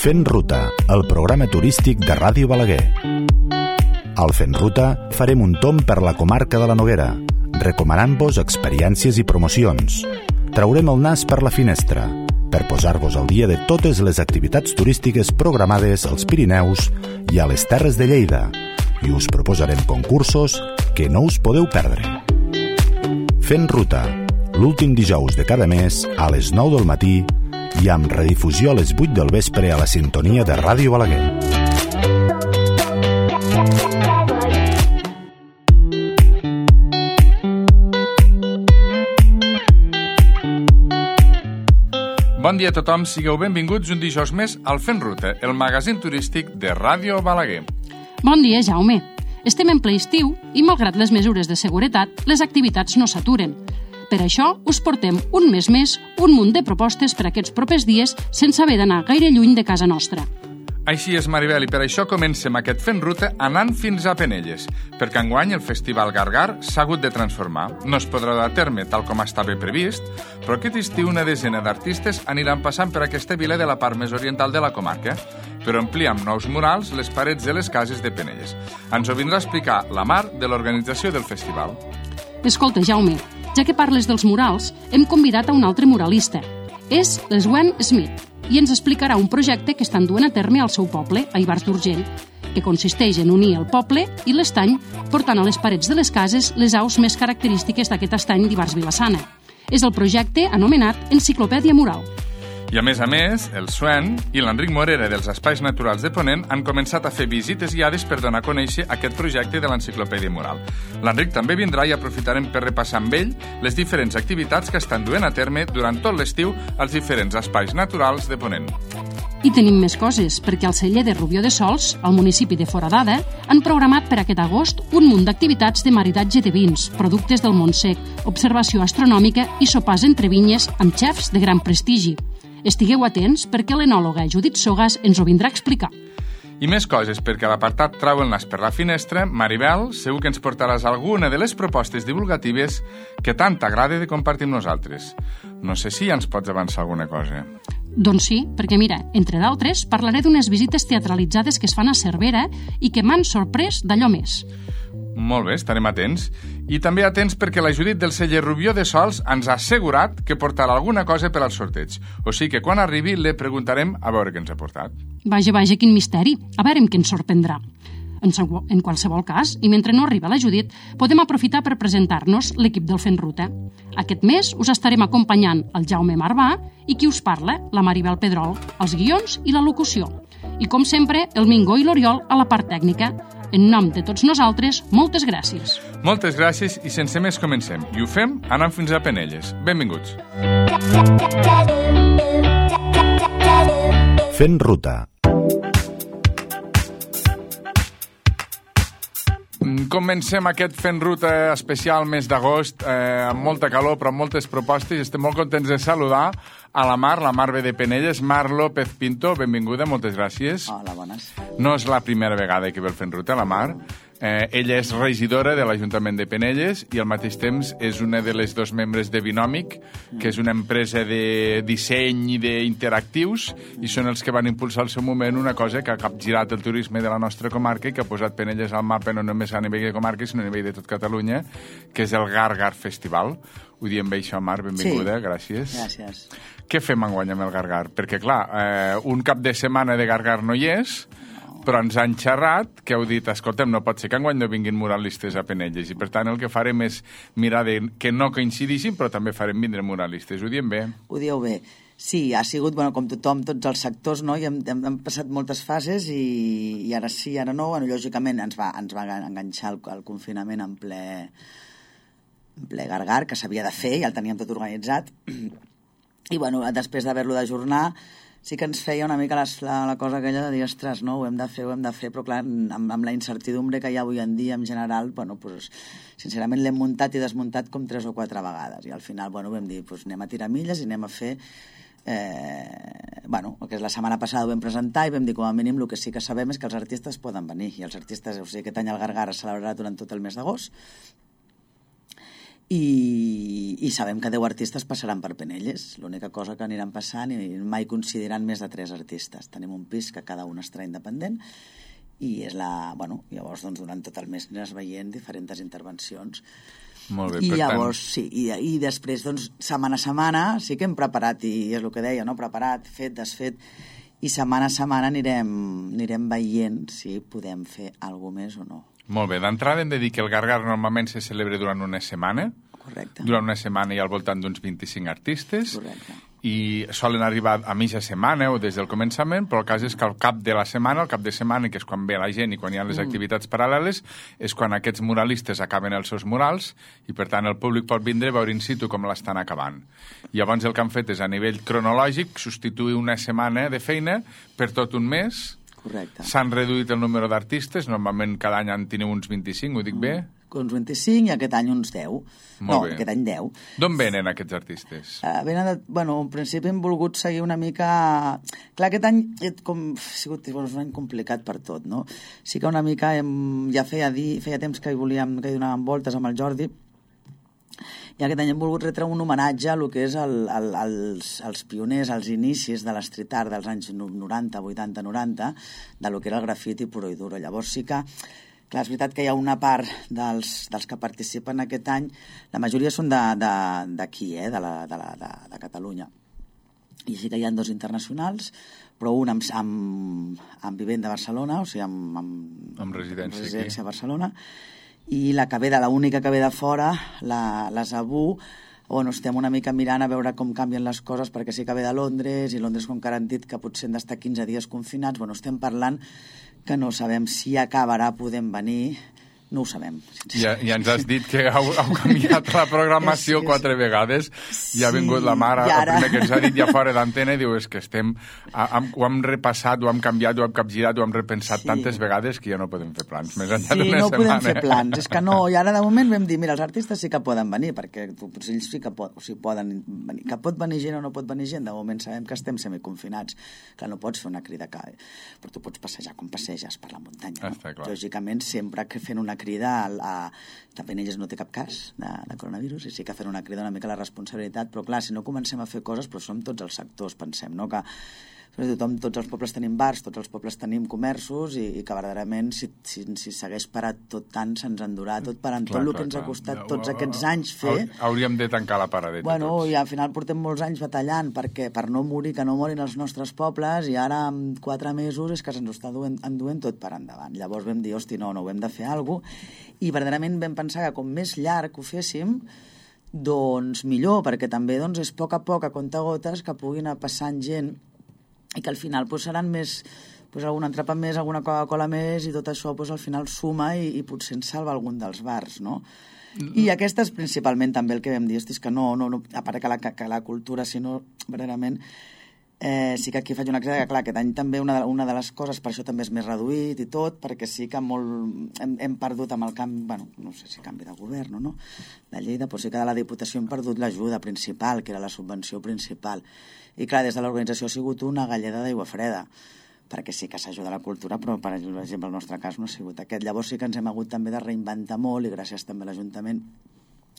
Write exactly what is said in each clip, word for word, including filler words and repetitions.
Fent Ruta, el programa turístic de Ràdio Balaguer. Al Fent Ruta farem un tomb per la comarca de la Noguera, recomanant-vos experiències i promocions. Traurem el nas per la finestra, per posar-vos al dia de totes les activitats turístiques programades als Pirineus i a les Terres de Lleida, i us proposarem concursos que no us podeu perdre. Fent Ruta, l'últim dijous de cada mes a les nou del matí i amb redifusió a les vuit del vespre a la sintonia de Ràdio Balaguer. Bon dia a tothom, sigueu benvinguts un dijous més al Fent Ruta, el magazín turístic de Ràdio Balaguer. Bon dia, Jaume. Estem en ple estiu i, malgrat les mesures de seguretat, les activitats no s'aturen. Per això us portem un mes més un munt de propostes per aquests propers dies sense haver d'anar gaire lluny de casa nostra. Així és, Maribel, i per això comencem aquest Fent Ruta anant fins a Penelles, perquè enguany el Festival Gargar s'ha hagut de transformar. No es podrà dur a terme tal com estava previst, però aquest estiu una desena d'artistes aniran passant per aquesta vila de la part més oriental de la comarca, per omplir amb nous murals les parets de les cases de Penelles. Ens ho vindrà a explicar la Mar de l'organització del festival. Escolta, Jaume, ja que parles dels murals, hem convidat a un altre muralista. És l'Swen Smith, i ens explicarà un projecte que estan duent a terme al seu poble, a Ivars d'Urgell, que consisteix en unir el poble i l'estany, portant a les parets de les cases les aus més característiques d'aquest estany d'Ivars Vilassana. És el projecte anomenat Enciclopèdia Mural. I a més a més, el Swen i l'Enric Morera dels Espais Naturals de Ponent han començat a fer visites guiades per donar a conèixer aquest projecte de l'Enciclopèdia Mural. L'Enric també vindrà i aprofitarem per repassar amb ell les diferents activitats que estan duent a terme durant tot l'estiu als diferents espais naturals de Ponent. I tenim més coses, perquè al celler de Rubió de Sols, al municipi de Foradada, han programat per aquest agost un munt d'activitats de maridatge de vins, productes del Montsec, observació astronòmica i sopars entre vinyes amb xefs de gran prestigi. Estigueu atents perquè l'enòloga Judit Sogas ens ho vindrà a explicar. I més coses, perquè a l'apartat Trau el nas per la finestra, Maribel, segur que ens portaràs alguna de les propostes divulgatives que tant t'agrada de compartir amb nosaltres. No sé si ja ens pots avançar alguna cosa. Doncs sí, perquè mira, entre d'altres, parlaré d'unes visites teatralitzades que es fan a Cervera i que m'han sorprès d'allò més. Molt bé, estarem atents. I també atents perquè la Judit del celler Rubió de Sols ens ha assegurat que portarà alguna cosa per al sorteig. O sigui que quan arribi le preguntarem a veure què ens ha portat. Vaja, vaja, quin misteri. A veure què ens sorprendrà. En, en qualsevol cas, i mentre no arriba la Judit, podem aprofitar per presentar-nos l'equip del Fent Ruta. Aquest mes us estarem acompanyant el Jaume Marbà i qui us parla, la Maribel Pedrol, els guions i la locució. I com sempre, el Mingó i l'Oriol a la part tècnica. En nom de tots nosaltres, moltes gràcies. Moltes gràcies i sense més comencem. I ho fem anant fins a Penelles. Benvinguts. Fent Ruta. Comencem aquest Fent Ruta especial mes d'agost, eh, amb molta calor però amb moltes propostes. Estem molt contents de saludar a la Mar, la Mar ve de Penelles, Mar López Pinto, benvinguda, moltes gràcies. Hola, bones. No és la primera vegada que ve el Fent Ruta, la Mar. Eh, ella és regidora de l'Ajuntament de Penelles i al mateix temps és una de les dos membres de Binòmic, que és una empresa de disseny i d'interactius, i són els que van impulsar al seu moment una cosa que ha capgirat el turisme de la nostra comarca i que ha posat Penelles al mapa no només a nivell de comarca, sinó a nivell de tot Catalunya, que és el Gargar Festival. Ho diem bé això, Mar, benvinguda, sí. Gràcies. Gràcies. Què fem enguany amb el Gargar? Perquè, clar, eh, un cap de setmana de Gargar no hi és, però ens han xerrat que heu dit, escolta'm, no pot ser que enguany no vinguin muralistes a Penelles, i per tant el que farem és mirar de que no coincidissin, però també farem vindre muralistes. Ho diem bé? Ho dieu bé. Sí, ha sigut, bueno, com tothom, tots els sectors, no? I hem, hem, hem passat moltes fases i, i ara sí, ara no. Bueno, lògicament ens va, ens va enganxar el, el confinament en ple, en ple Gargar, que s'havia de fer, ja el teníem tot organitzat. I, bueno, després d'haver-lo d'ajornar, sí que ens feia una mica la, la, la cosa aquella de dir, ostres, no, ho hem de fer, ho hem de fer, però clar, amb, amb la incertidumbre que hi ha avui en dia en general, bueno, pues, sincerament l'hem muntat i desmuntat com tres o quatre vegades, i al final, bueno, vam dir, pues, anem a tirar milles i anem a fer, eh, bueno, el que és la setmana passada ho vam presentar i vam dir, com a mínim, el que sí que sabem és que els artistes poden venir, i els artistes, o sigui, aquest any el Gargar es celebrarà durant tot el mes d'agost, i, i sabem que deu artistes passaran per Penelles. L'única cosa que aniran passant i mai coincidiran més de tres artistes. Tenim un pis que cada un estarà independent i és la... Bueno, llavors, doncs, durant tot el mes aniràs veient diferents intervencions. Molt bé, I per llavors, tant... sí, i, i després, doncs, setmana a setmana sí que hem preparat, i és el que deia, no? Preparat, fet, desfet, i setmana a setmana anirem, anirem veient si podem fer alguna més o no. Molt bé, d'entrada hem de dir que el Gargar normalment se celebra durant una setmana. Correcte. Durant una setmana hi ha al voltant d'uns vint-i-cinc artistes. Correcte. I solen arribar a mitja setmana o des del començament, però el cas és que al cap de la setmana, al cap de setmana, que és quan ve la gent i quan hi ha les mm. activitats paral·leles, és quan aquests muralistes acaben els seus murals i, per tant, el públic pot vindre a veure in situ com l'estan acabant. Llavors el que han fet és, a nivell cronològic, substituir una setmana de feina per tot un mes. Correcte. S'han reduït el número d'artistes, normalment cada any en teniu uns vint-i-cinc, ho dic mm. bé? Uns vint-i-cinc i aquest any uns deu. Molt no, bé. Aquest any deu. D'on venen aquests artistes? Uh, venen de, bueno, en principi hem volgut seguir una mica... Clar, aquest any com, ha sigut bueno, un any complicat per tot, no? Sí que una mica hem, ja feia, dir, feia temps que hi volíem, que hi donàvem voltes amb el Jordi, i aquest any hem volgut retre un homenatge a lo que és el, el, els, els pioners, els inicis de l'street art dels anys noranta, vuitanta, noranta, de lo que era el grafiti puro i duro. Llavors sí que... Clar, és veritat que hi ha una part dels, dels que participen aquest any, la majoria són d'aquí, eh, de, la, de, la, de, de Catalunya. I sí que hi ha dos internacionals, però un amb, amb, amb vivent de Barcelona, o sigui, amb, amb, amb residència, amb residència a Barcelona, i la que ve de, l'única que ve de fora, la, la Zabú, on estem una mica mirant a veure com canvien les coses, perquè sí que ve de Londres, i Londres, com que ara han dit que potser han d'estar quinze dies confinats, bueno, estem parlant que no sabem si acabarà podent venir, no ho sabem. Ja, ja ens has dit que heu, heu canviat la programació sí, quatre vegades, sí, i ha vingut la mare, ara... el primer que ens ha dit ja fora d'antena, diu, és que estem, hem, ho hem repassat, ho hem canviat, ho hem capgirat, ho hem repensat sí. tantes vegades que ja no podem fer plans, més enllà sí, d'una no setmana. Sí, no podem fer plans, és que no, i ara de moment vam dir, mira, els artistes sí que poden venir, perquè potser ells sí que, pot, o sigui, poden venir, que pot venir gent o no pot venir gent, de moment sabem que estem semiconfinats, que no pots fer una crida, que, però tu pots passejar com passeges per la muntanya, no? Lògicament, sempre que fent una crida a, a que Penelles no té cap cas de, de coronavirus i sí que fent una crida una mica la responsabilitat, però clar, si no comencem a fer coses, però som tots els sectors, pensem, no? Que tothom, tots els pobles tenim bars, tots els pobles tenim comerços i, i que verdaderament si, si, si s'hagués parat tot tant se'ns endurà tot parant clar, tot el clar, que ens clar. ha costat tots aquests anys fer. Hauríem de tancar la paradeta bueno, tots. I al final portem molts anys batallant perquè per no morir, que no morin els nostres pobles i ara en quatre mesos és que se'ns està duent, enduent tot per endavant. Llavors vam dir, hosti, no, no, ho hem de fer alguna cosa i verdaderament vam pensar que com més llarg ho féssim doncs millor, perquè també doncs, és a poc a poc, a comptagotes, que puguin anar passant gent i que al final pues, seran més, pues, alguna entrepà més, alguna Coca-Cola més i tot això pues, al final suma i, i potser ens salva algun dels bars, no? Mm. I aquesta és principalment també el que vam dir, hosti, és que no, no, no a part que la, que la cultura, sinó verdaderament eh, sí que aquí faig una crida que clar, aquest any també una de, una de les coses, per això també és més reduït i tot, perquè sí que molt hem, hem perdut amb el canvi, bueno, no sé si canvi de govern o no, de Lleida, però sí que de la Diputació hem perdut l'ajuda principal, que era la subvenció principal. I clar, des de l'organització ha sigut una galleda d'aigua freda, perquè sí que s'ajuda a la cultura, però per exemple el nostre cas no ha sigut aquest. Llavors sí que ens hem hagut també de reinventar molt i gràcies també a l'Ajuntament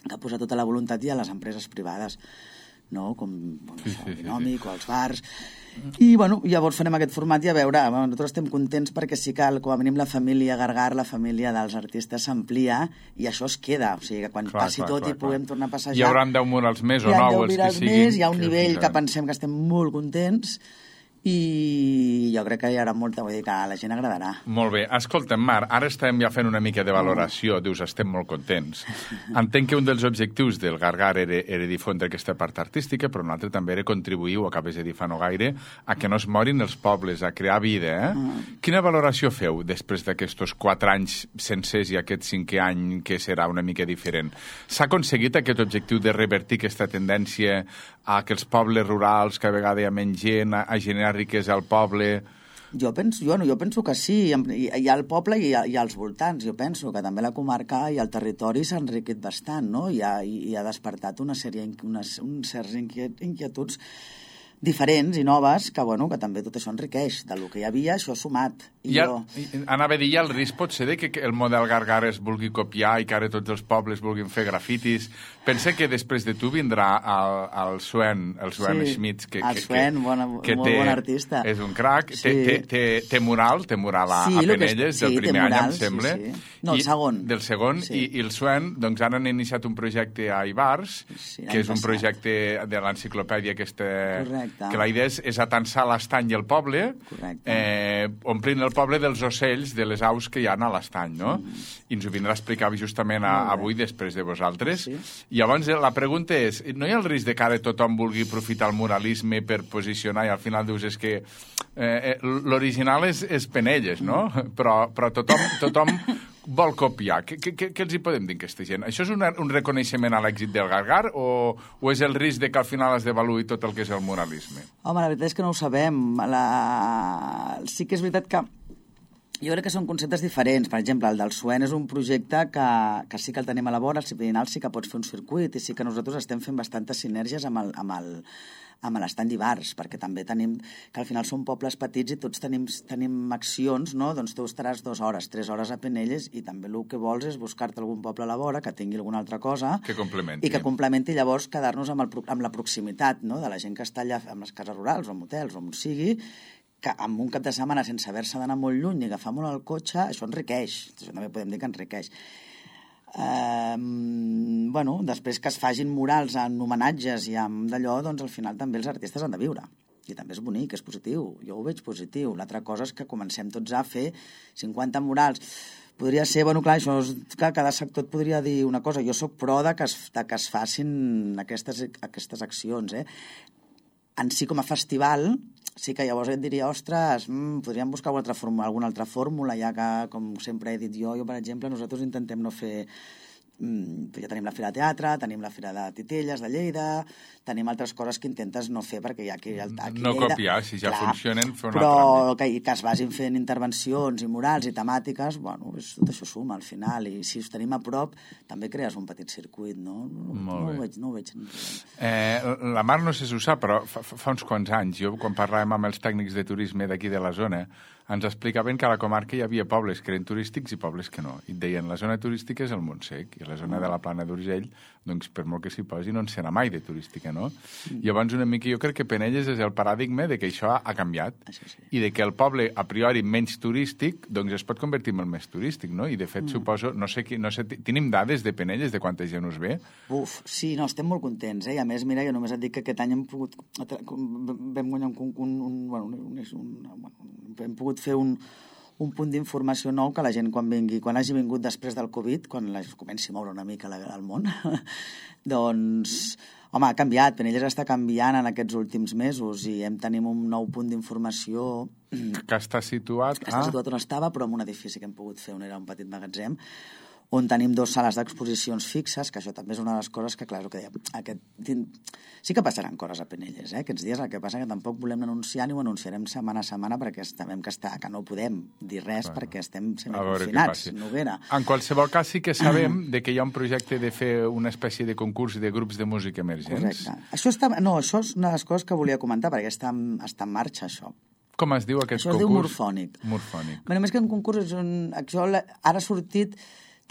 que ha posat tota la voluntat i a les empreses privades, no? Com bueno, sí, sí, el Binòmic sí, sí. o els bars. I bueno, llavors farem aquest format i a veure, bueno, nosaltres estem contents perquè sí que com a mínim la família Gargar, la família dels artistes s'amplia i això es queda, o sigui que quan clar, passi clar, tot clar, i clar. puguem tornar a passejar hi haurà deu murals més o nou els que siguin més, hi ha un nivell que pensem que estem molt contents i jo crec que hi haurà molta, vull dir que a la gent agradarà. Molt bé. Escolta'm, Mar, ara estem ja fent una mica de valoració, oh. dius, estem molt contents. Entenc que un dels objectius del Gargar era, era difondre aquesta part artística, però un altre també era contribuir, ho acabes de dir fa no gaire, a que no es morin els pobles, a crear vida, eh? Oh. Quina valoració feu després d'aquests quatre anys sencers i aquest cinquè any que serà una mica diferent? S'ha aconseguit aquest objectiu de revertir aquesta tendència a que els pobles rurals, que a vegades hi ha menys gent, a, a generar riquesa al poble? Jo penso, jo, no, jo penso que sí, hi, hi ha el poble i hi ha, hi ha els voltants, jo penso que també la comarca i el territori s'ha enriquit bastant, no? I ha, i ha despertat una sèrie, unes, uns certs inquietuds diferents i noves, que, bueno, que també tot això enriqueix. Del que hi havia, això sumat. I ja, jo... Anava a dir, ja el risc pot ser de que el model Gargar es vulgui copiar i que ara tots els pobles vulguin fer grafitis. Pensa que després de tu vindrà el, el Sven, el Sven sí, Schmitz, que, el que, Sven, que, bona, que molt té, bon artista. És un crac. Sí. Té, té, té, té mural, té mural a, sí, a Penelles, és, sí, del primer mural, any, em sembla. Sí, sí. No, el segon. I, del segon, sí. i, i el Sven, doncs ara han iniciat un projecte a Ibars, sí, que és un passat. projecte de l'enciclopèdia aquesta, correcte. Que la idea és, és atansar l'estany i el poble, eh, omplint el poble dels ocells, de les aus que hi ha a l'estany, no? Mm. I ens ho vindrà a explicar justament a, avui, després de vosaltres. Sí. I llavors la pregunta és, no hi ha el risc de que ara tothom vulgui aprofitar el muralisme per posicionar i al final dius és que eh, l'original és, és Penelles, no? Mm. Però, però tothom, tothom vol copiar. Què, què, què els hi podem dir a aquesta gent? Això és una, un reconeixement a l'èxit del Gargar o, o és el risc de que al final es devaluï tot el que és el muralisme? Home, la veritat és que no ho sabem. La... Sí que és veritat que jo crec que són conceptes diferents. Per exemple, el del Suen és un projecte que, que sí que el tenim a la vora, al Ciprinal sí que pots fer un circuit i sí que nosaltres estem fent bastantes sinergies amb el, amb el, amb l'estany d'Ibars, perquè també tenim, que al final són pobles petits i tots tenim, tenim accions, no? Doncs tu estaràs dues hores, tres hores a Penelles i també el que vols és buscar-te algun poble a la vora que tingui alguna altra cosa que complementi. I que complementi llavors quedar-nos amb, el, amb la proximitat, no? De la gent que està allà amb les cases rurals o amb hotels o on sigui, que amb un cap de setmana sense haver-se d'anar molt lluny ni agafar molt el cotxe, això enriqueix. Això també podem dir que enriqueix. Eh, bueno, després que es facin murals en homenatges i amb d'allò, doncs al final també els artistes han de viure. I també és bonic, és positiu. Jo ho veig positiu. L'altra cosa és que comencem tots a fer cinquanta murals. Podria ser, bueno, clar, això és, que cada sector et podria dir una cosa. Jo sóc pro de que es, de que es facin aquestes, aquestes accions, eh? En si com a festival, sí que llavors et diria, ostres, mm, podríem buscar alguna altra, fórmula, alguna altra fórmula, ja que, com sempre he dit jo, jo, per exemple, nosaltres intentem no fer... Ja tenim la Fira de Teatre, tenim la Fira de Titelles, de Lleida, tenim altres coses que intentes no fer perquè hi ha aquí... aquí no Lleida, copiar, si ja clar, funcionen, fer una però altra. Que, que es vagin fent intervencions i murals i temàtiques, bueno, és, tot això suma al final, i si us tenim a prop també crees un petit circuit, no? No, no ho veig, no ho veig. Eh, la Mar no sé si ho sap, però fa, fa uns quants anys, jo quan parlàvem amb els tècnics de turisme d'aquí de la zona, ens explicaven que a la comarca hi havia pobles que eren turístics i pobles que no. I et deien, la zona turística és el Montsec, i la zona de la Plana d'Urgell, doncs per molt que s'hi posi, no en serà mai de turística, no? Mm. Llavors, una mica, jo crec que Penelles és el paradigma de que això ha canviat, això sí. I de que el poble, a priori, menys turístic, doncs es pot convertir en el més turístic, no? I, de fet, mm. suposo, no sé, no sé, tenim dades de Penelles de quanta gent us ve? Uf, sí, no, estem molt contents, eh? I a més, mira, jo només et dic que aquest any hem pogut... vam guanyar un... un, un, un, un, un, un hem pogut fer un, un punt d'informació nou que la gent quan vingui, quan hagi vingut després del Covid, quan la, comenci a moure una mica la, el món, doncs, home, ha canviat. Penelles està canviant en aquests últims mesos i hem tenim un nou punt d'informació que està situat, que està situat on estava, però en un edifici que hem pogut fer on era un petit magatzem, on tenim dues sales d'exposicions fixes, que això també és una de les coses que, clar, que dèiem, aquest, sí que passaran coses a Penelles, eh? Aquests dies. El que passa que tampoc volem anunciar ni ho anunciarem setmana a setmana perquè sabem que, està, que no podem dir res bueno, perquè estem semiconfinats. Noguera. En qualsevol cas sí que sabem de que hi ha un projecte de fer una espècie de concurs de grups de música emergents. Correcte. Això, està, no, això és una de les coses que volia comentar perquè està, està en marxa, això. Com es diu aquest això concurs? Això es diu Morfònic. Morfònic. Bé, només que un concurs és un... Això ara ha sortit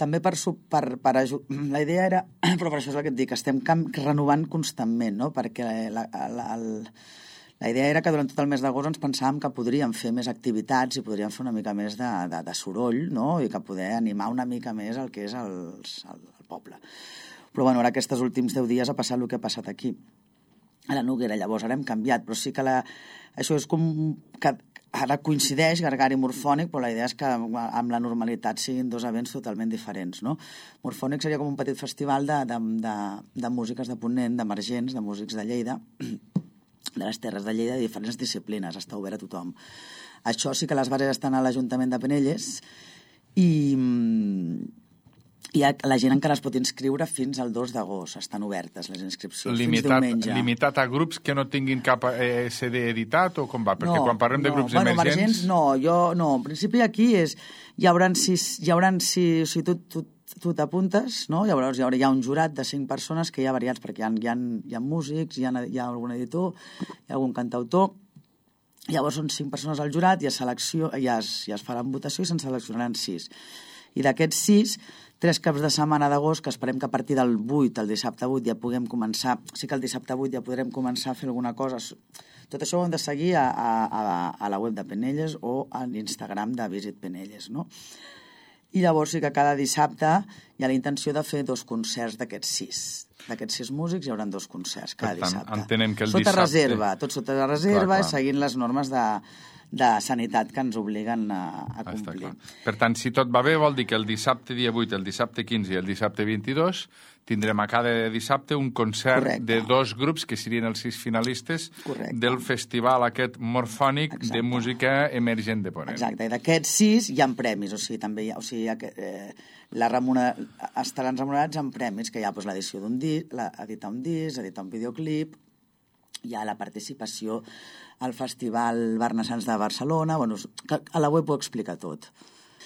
també per, per, per ajudar. La idea era, però per això és el que et dic, estem renovant constantment, no? Perquè la, la, la, la idea era que durant tot el mes d'agost ens pensàvem que podríem fer més activitats i podríem fer una mica més de, de, de soroll, no? I que poder animar una mica més el que és el, el, el poble. Però bueno, ara aquests últims deu dies ha passat el que ha passat aquí, a la Noguera. Llavors ara hem canviat, però sí que la, això és com que ara coincideix Gargar i Morfònic, però la idea és que amb la normalitat siguin dos events totalment diferents, no? Morfònic seria com un petit festival de, de, de, de músiques de Ponent, d'emergents, de músics de Lleida, de les terres de Lleida, de diferents disciplines, està obert a tothom. Això sí que les bases estan a l'Ajuntament de Penelles i... I la gent encara es pot inscriure fins al dos d'agost. Estan obertes les inscripcions limitat, fins diumenge. Limitat a grups que no tinguin cap eh, C D editat o com va? Perquè no, quan parlem de no. grups bueno, emergents... emergents... No, jo no. En principi aquí és, hi haurà sis... Hi haurà sis, o sigui, tu, tu, tu t'apuntes, no? Llavors hi haurà, hi ha un jurat de cinc persones que hi ha variats, perquè hi ha, hi ha, hi ha músics, hi ha, hi ha algun editor, hi ha algun cantautor. Llavors són cinc persones al jurat i a selecció, ja es, ja es faran votació i se'n seleccionaran sis. I d'aquests sis, tres caps de setmana d'agost, que esperem que a partir del vuit, el dissabte vuit, ja puguem començar, sí que el dissabte vuit ja podrem començar a fer alguna cosa. Tot això ho hem de seguir a, a, a la web de Penelles o a l'Instagram de Visit Penelles, no? I llavors sí que cada dissabte hi ha la intenció de fer dos concerts d'aquests sis. D'aquests sis músics hi haurà dos concerts cada per tant, dissabte. Entenem que el sota dissabte... reserva, tot sota la reserva, clar, clar. i seguint les normes de, de sanitat que ens obliguen a, a complir. Per tant, si tot va bé, vol dir que el dissabte dia vuit, el dissabte quinze i el dissabte vint-i-dos tindrem a cada dissabte un concert Correcte. de dos grups que serien els sis finalistes Correcte. del festival aquest morfònic Exacte. de música emergent de Ponent. Exacte, i d'aquests sis hi ha premis, o sigui, també hi ha, o sigui, hi ha, eh, la remuner... estaran remunerats amb premis, que hi ha doncs, l'edició d'un disc, editar un disc, editar un videoclip, hi ha la participació al Festival Barnassans de Barcelona, bueno, a la web ho explica tot.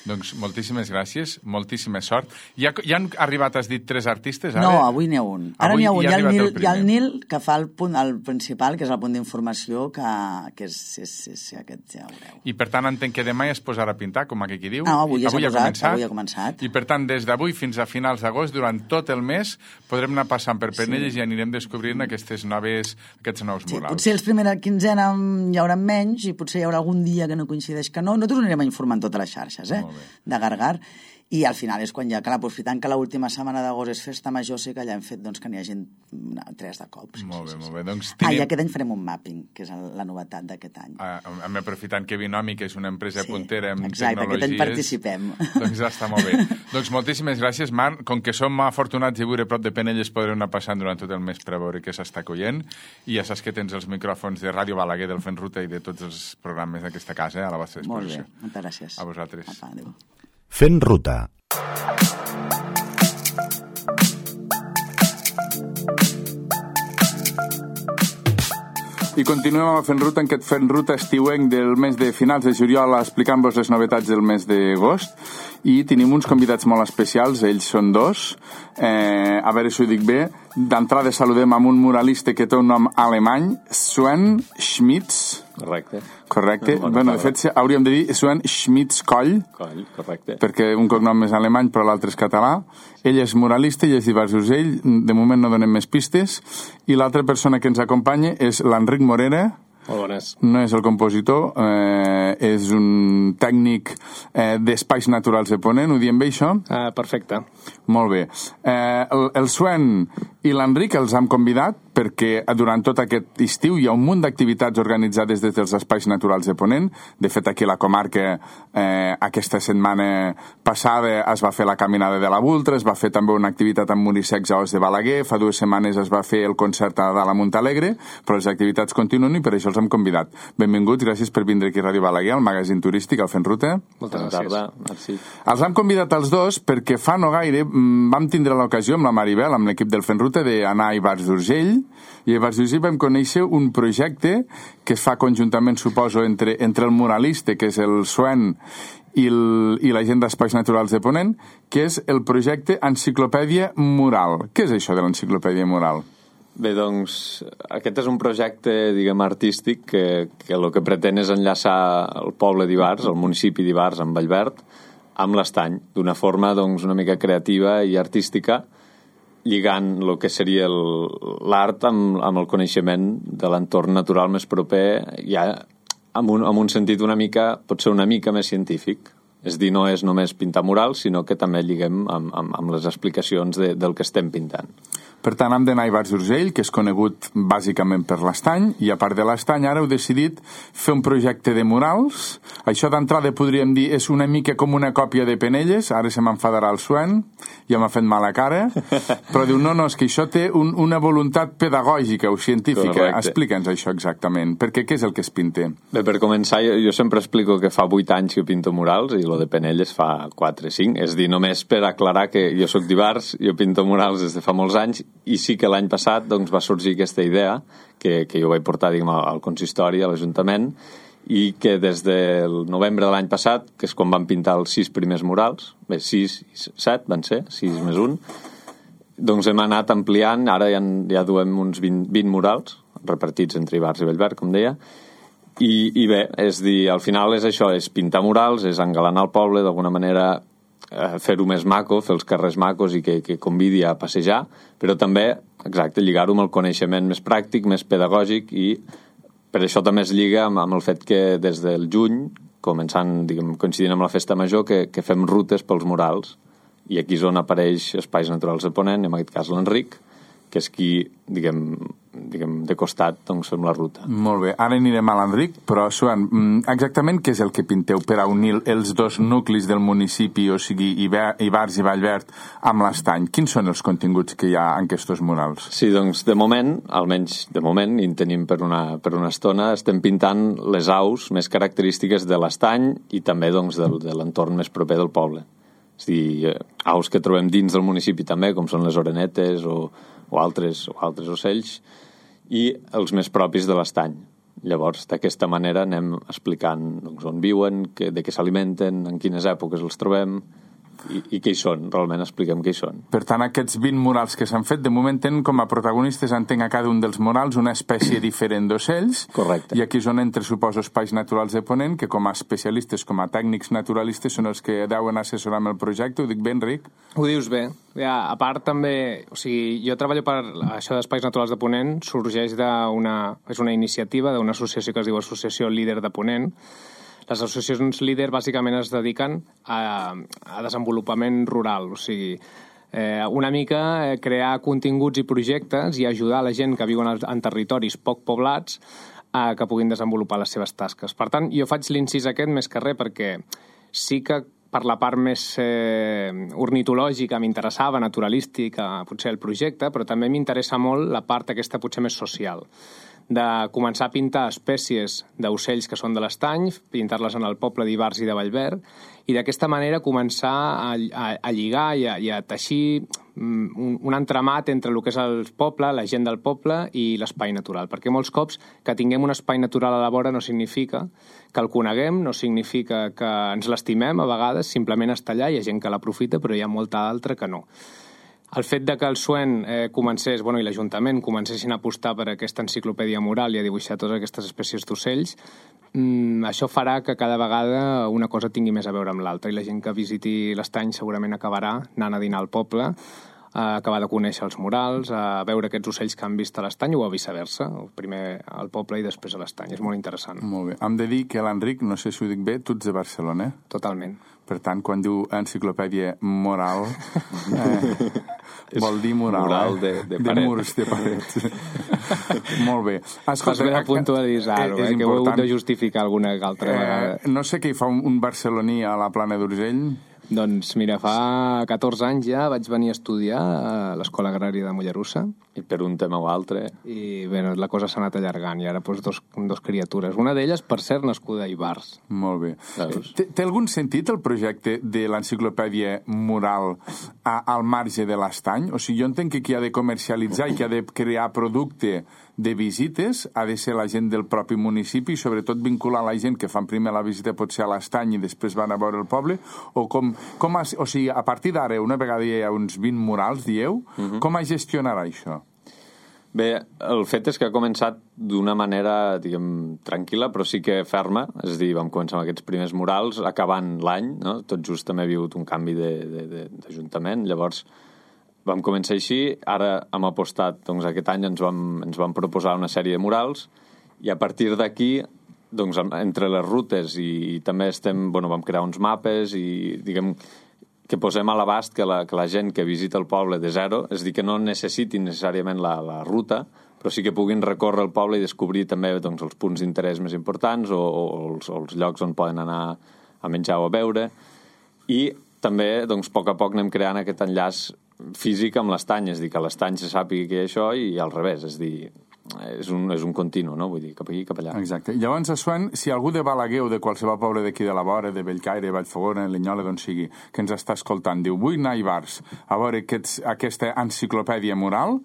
Doncs moltíssimes gràcies, moltíssima sort. Ja, ja han arribat, has dit, tres artistes? Ara? No, avui n'hi ha un. Ara n'hi ha un. Hi ha, el Nil, hi ha el Nil, que fa el punt el principal, que és el punt d'informació, que, que és, és, és, és aquest, ja ho veureu. I per tant entenc que demà ja es posarà a pintar, com aquí diu. No, avui ja s'ha posat, començat, avui ha començat. I per tant, des d'avui fins a finals d'agost, durant tot el mes, podrem anar passant per Penelles sí. i anirem descobrint aquestes noves, aquests nous sí, murals. Potser els primera quinzena hi haurà menys i potser hi haurà algun dia que no coincideix que no. Nosaltres ho anirem a informar en totes les xarxes, eh? De Gargar. I al final és quan ja, clar, aprofitant que l'última setmana d'agost és festa major, sí que ja hem fet doncs, que n'hi hagi tres de cops. Sí, molt bé, sí, molt sí. bé. Doncs tenim... Ah, i aquest any farem un mapping, que és la novetat d'aquest any. Ah, aprofitant que Binòmic és una empresa sí, puntera en exacte, tecnologies... Exacte, aquest any participem. Doncs ja està molt bé. Doncs moltíssimes gràcies, Marc. Com que som afortunats i viure prop de Penelles, podrem anar passant durant tot el mes per a veure què s'està collent. I ja saps que tens els micròfons de Ràdio Balaguer, del Fent Ruta i de tots els programes d'aquesta casa eh, a la vostra disposició. Molt bé, moltes gràcies. A vosaltres. Apa, adéu. Fent Ruta. I continuem amb el Fent Ruta, en aquest Fent Ruta estiuenc del mes de finals de juliol, explicant-vos les novetats del mes d'agost. I tenim uns convidats molt especials, ells són dos. Eh, a veure si ho dic bé. D'entrada saludem amb un muralista que té un nom alemany, Sven Schmitz. Correcte. Correcte. No, bueno, de fet, hauríem de dir Sven Schmitz Coll. Coll, correcte. Perquè un cognom és alemany, però l'altre és català. Ell és muralista i és d'Ivars-d'Urgell. De moment no donem més pistes. I l'altra persona que ens acompanya és l'Enric Morera. Molt bones. No és el compositor, eh, és un tècnic eh, d'espais naturals de Ponent, ho diem bé, això? Ah, perfecte. Molt bé. Eh, el, el Sven i l'Enric els hem convidat perquè durant tot aquest estiu hi ha un munt d'activitats organitzades des dels espais naturals de Ponent. De fet, aquí a la comarca eh, aquesta setmana passada es va fer la caminada de la Vultra, es va fer també una activitat amb Munisecs a Os de Balaguer, fa dues setmanes es va fer el concert a Dalt a Montalegre, però les activitats continuen i per això els hem convidat. Benvinguts, gràcies per vindre aquí a Ràdio Balaguer, al magazín turístic, al Fent Ruta. Moltes gràcies. Merci. Els hem convidat els dos perquè fa no gaire vam tindre l'ocasió amb la Maribel, amb l'equip del Fent Ruta, d'anar a Ivars-d'Urgell, i a Ivars-d'Urgell vam conèixer un projecte que es fa conjuntament, suposo, entre, entre el muralista, que és el Sven, i, el, i la gent d'Espais Naturals de Ponent, que és el projecte Enciclopèdia Mural. Què és això de l'Enciclopèdia Mural? Bé, doncs, aquest és un projecte, diguem, artístic que, que el que pretén és enllaçar el poble d'Ivars, el municipi d'Ivars, amb Vallverd, amb l'Estany, d'una forma, doncs, una mica creativa i artística, lligant el que seria l'art amb, amb el coneixement de l'entorn natural més proper, ja amb un, amb un sentit una mica, pot ser una mica més científic. És dir, no és només pintar murals, sinó que també lliguem amb, amb, amb les explicacions de, del que estem pintant. Per tant, hem d'anar a Ivars-d'Urgell, que és conegut bàsicament per l'Estany, i a part de l'Estany ara heu decidit fer un projecte de murals. Això d'entrada podríem dir és una mica com una còpia de Penelles, ara se m'enfadarà el Sven, ja m'ha fet mala cara, però diu, no, no, és que això té un, una voluntat pedagògica o científica. Correcte. Explica'ns això exactament, perquè què és el que es pinta? Bé, per començar, jo, jo sempre explico que fa vuit anys que pinto murals, i lo de Penelles fa quatre o cinc, és dir, només per aclarar que jo soc d'Ivars, jo pinto murals des de fa molts anys, i sí que l'any passat doncs, va sorgir aquesta idea que, que jo vaig portar diguem, al consistori, a l'Ajuntament, i que des del novembre de l'any passat, que és quan van pintar els sis primers murals, bé, sis i set van ser, sis més un, doncs hem anat ampliant, ara ja, ja duem uns vint, vint murals, repartits entre Ivars i Bellver, com deia, i, i bé, és dir, al final és això, és pintar murals, és engalanar el poble, d'alguna manera eh, fer-ho més maco, fer els carrers macos i que, que convidi a passejar, però també, exacte, lligar-ho amb el coneixement més pràctic, més pedagògic, i per això també es lliga amb, amb el fet que des del juny, començant, diguem, coincidint amb la festa major, que, que fem rutes pels murals, i aquí és on apareix Espais Naturals de Ponent, en aquest cas l'Enric, que és qui, diguem, diguem de costat, doncs fem la ruta. Molt bé, ara anirem a l'Enric, però, Suan, exactament què és el que pinteu per a unir els dos nuclis del municipi, o sigui, Ivars i Vallverd, amb l'Estany? Quins són els continguts que hi ha en aquests murals? Sí, doncs, de moment, almenys de moment, i en tenim per una, per una estona, estem pintant les aus més característiques de l'Estany i també, doncs, del, de l'entorn més proper del poble. És a dir, aus que trobem dins del municipi també, com són les orenetes o, o, altres, o altres ocells, i els més propis de l'Estany. Llavors, d'aquesta manera anem explicant, doncs, on viuen, que, de què s'alimenten, en quines èpoques els trobem i, i què hi són, realment expliquem què hi són. Per tant, aquests vint murals que s'han fet, de moment tenen com a protagonistes, entenc a cada un dels murals, una espècie diferent d'ocells. Correcte. I aquí és on entre, suposo, Espais Naturals de Ponent, que com a especialistes, com a tècnics naturalistes, són els que deuen assessorar amb el projecte. Ho dic bé, Enric? Ho dius bé. Ja, a part també, o sigui, jo treballo per això d'Espais Naturals de Ponent, sorgeix d'una, és una iniciativa d'una associació que es diu Associació Líder de Ponent. Les associacions líder bàsicament es dediquen a, a desenvolupament rural, o sigui, eh, una mica eh, crear continguts i projectes i ajudar la gent que viu en, en territoris poc poblats a que puguin desenvolupar les seves tasques. Per tant, jo faig l'incís aquest més que res perquè sí que per la part més eh, ornitològica m'interessava, naturalística, potser el projecte, però també m'interessa molt la part aquesta potser més social, de començar a pintar espècies d'ocells que són de l'Estany, pintar-les en el poble d'Ivars i de Vallverd, i d'aquesta manera començar a, a, a lligar i a, i a teixir un, un entramat entre el que és el poble, la gent del poble i l'espai natural. Perquè molts cops que tinguem un espai natural a la vora no significa que el coneguem, no significa que ens l'estimem a vegades, simplement està allà, hi ha gent que l'aprofita, però hi ha molta altra que no. El fet de que el S U E N eh, comencés, bueno, i l'Ajuntament comencessin a apostar per aquesta enciclopèdia mural i a dibuixar totes aquestes espècies d'ocells, mmm, això farà que cada vegada una cosa tingui més a veure amb l'altra i la gent que visiti l'Estany segurament acabarà anant a dinar al poble, a acabar de conèixer els murals, a veure aquests ocells que han vist a l'Estany o a viceversa, primer al poble i després a l'Estany. És molt interessant. Molt bé. Hem de dir que l'Enric, no sé si ho dic bé, tu ets de Barcelona. Totalment. Per tant, quan diu enciclopèdia moral, eh, vol dir moral, moral de, de, de murs, de parets. Molt bé. Escolta, Fas bé a puntualitzar-ho, eh, que ho he hagut de justificar alguna altra vegada. Eh, no sé què hi fa un, un barceloní a la Plana d'Urgell. Doncs mira, fa catorze anys ja vaig venir a estudiar a l'Escola Agrària de Mollerussa. I per un tema o altre. I bé, la cosa s'ha anat allargant i ara doncs dos, dos criatures. Una d'elles, per cert, nascuda a Ivars. Molt bé. Té, té algun sentit el projecte de l'enciclopèdia mural a, al marge de l'Estany? O sigui, jo entenc que qui ha de comercialitzar i qui ha de crear producte de visites ha de ser la gent del propi municipi i sobretot vincular la gent que fan primer la visita potser a l'Estany i després van a veure el poble, o com, com ha, o sigui, a partir d'ara, una vegada hi ha uns vint murals, dieu, uh-huh. com es gestionarà això? Bé, el fet és que ha començat d'una manera, diguem, tranquil·la, però sí que ferma. És a dir, vam començar amb aquests primers murals, acabant l'any, no? Tot just també ha hagut un canvi d'Ajuntament. Llavors, vam començar així. Ara hem apostat, doncs aquest any ens vam, ens vam proposar una sèrie de murals i a partir d'aquí, doncs, entre les rutes i, i també estem, bueno, vam crear uns mapes i, diguem, que posem a l'abast que la, que la gent que visita el poble de zero, és a dir, que no necessitin necessàriament la, la ruta, però sí que puguin recórrer el poble i descobrir també doncs, els punts d'interès més importants o, o, els, o els llocs on poden anar a menjar o a beure. I també, doncs, a poc a poc anem creant aquest enllaç físic amb l'Estany, és a dir, que l'Estany se sàpiga que hi ha això i al revés, és a dir, és un, és un continu, no? Vull dir, cap aquí, cap allà. Exacte. Llavors, a Suan, si algú de Balaguer o de qualsevol poble d'aquí de la vora, de Bellcaire, Vallfogona, Linyola, d'on sigui, que ens està escoltant, diu, vull anar a Ivars a veure aquests, aquesta enciclopèdia mural,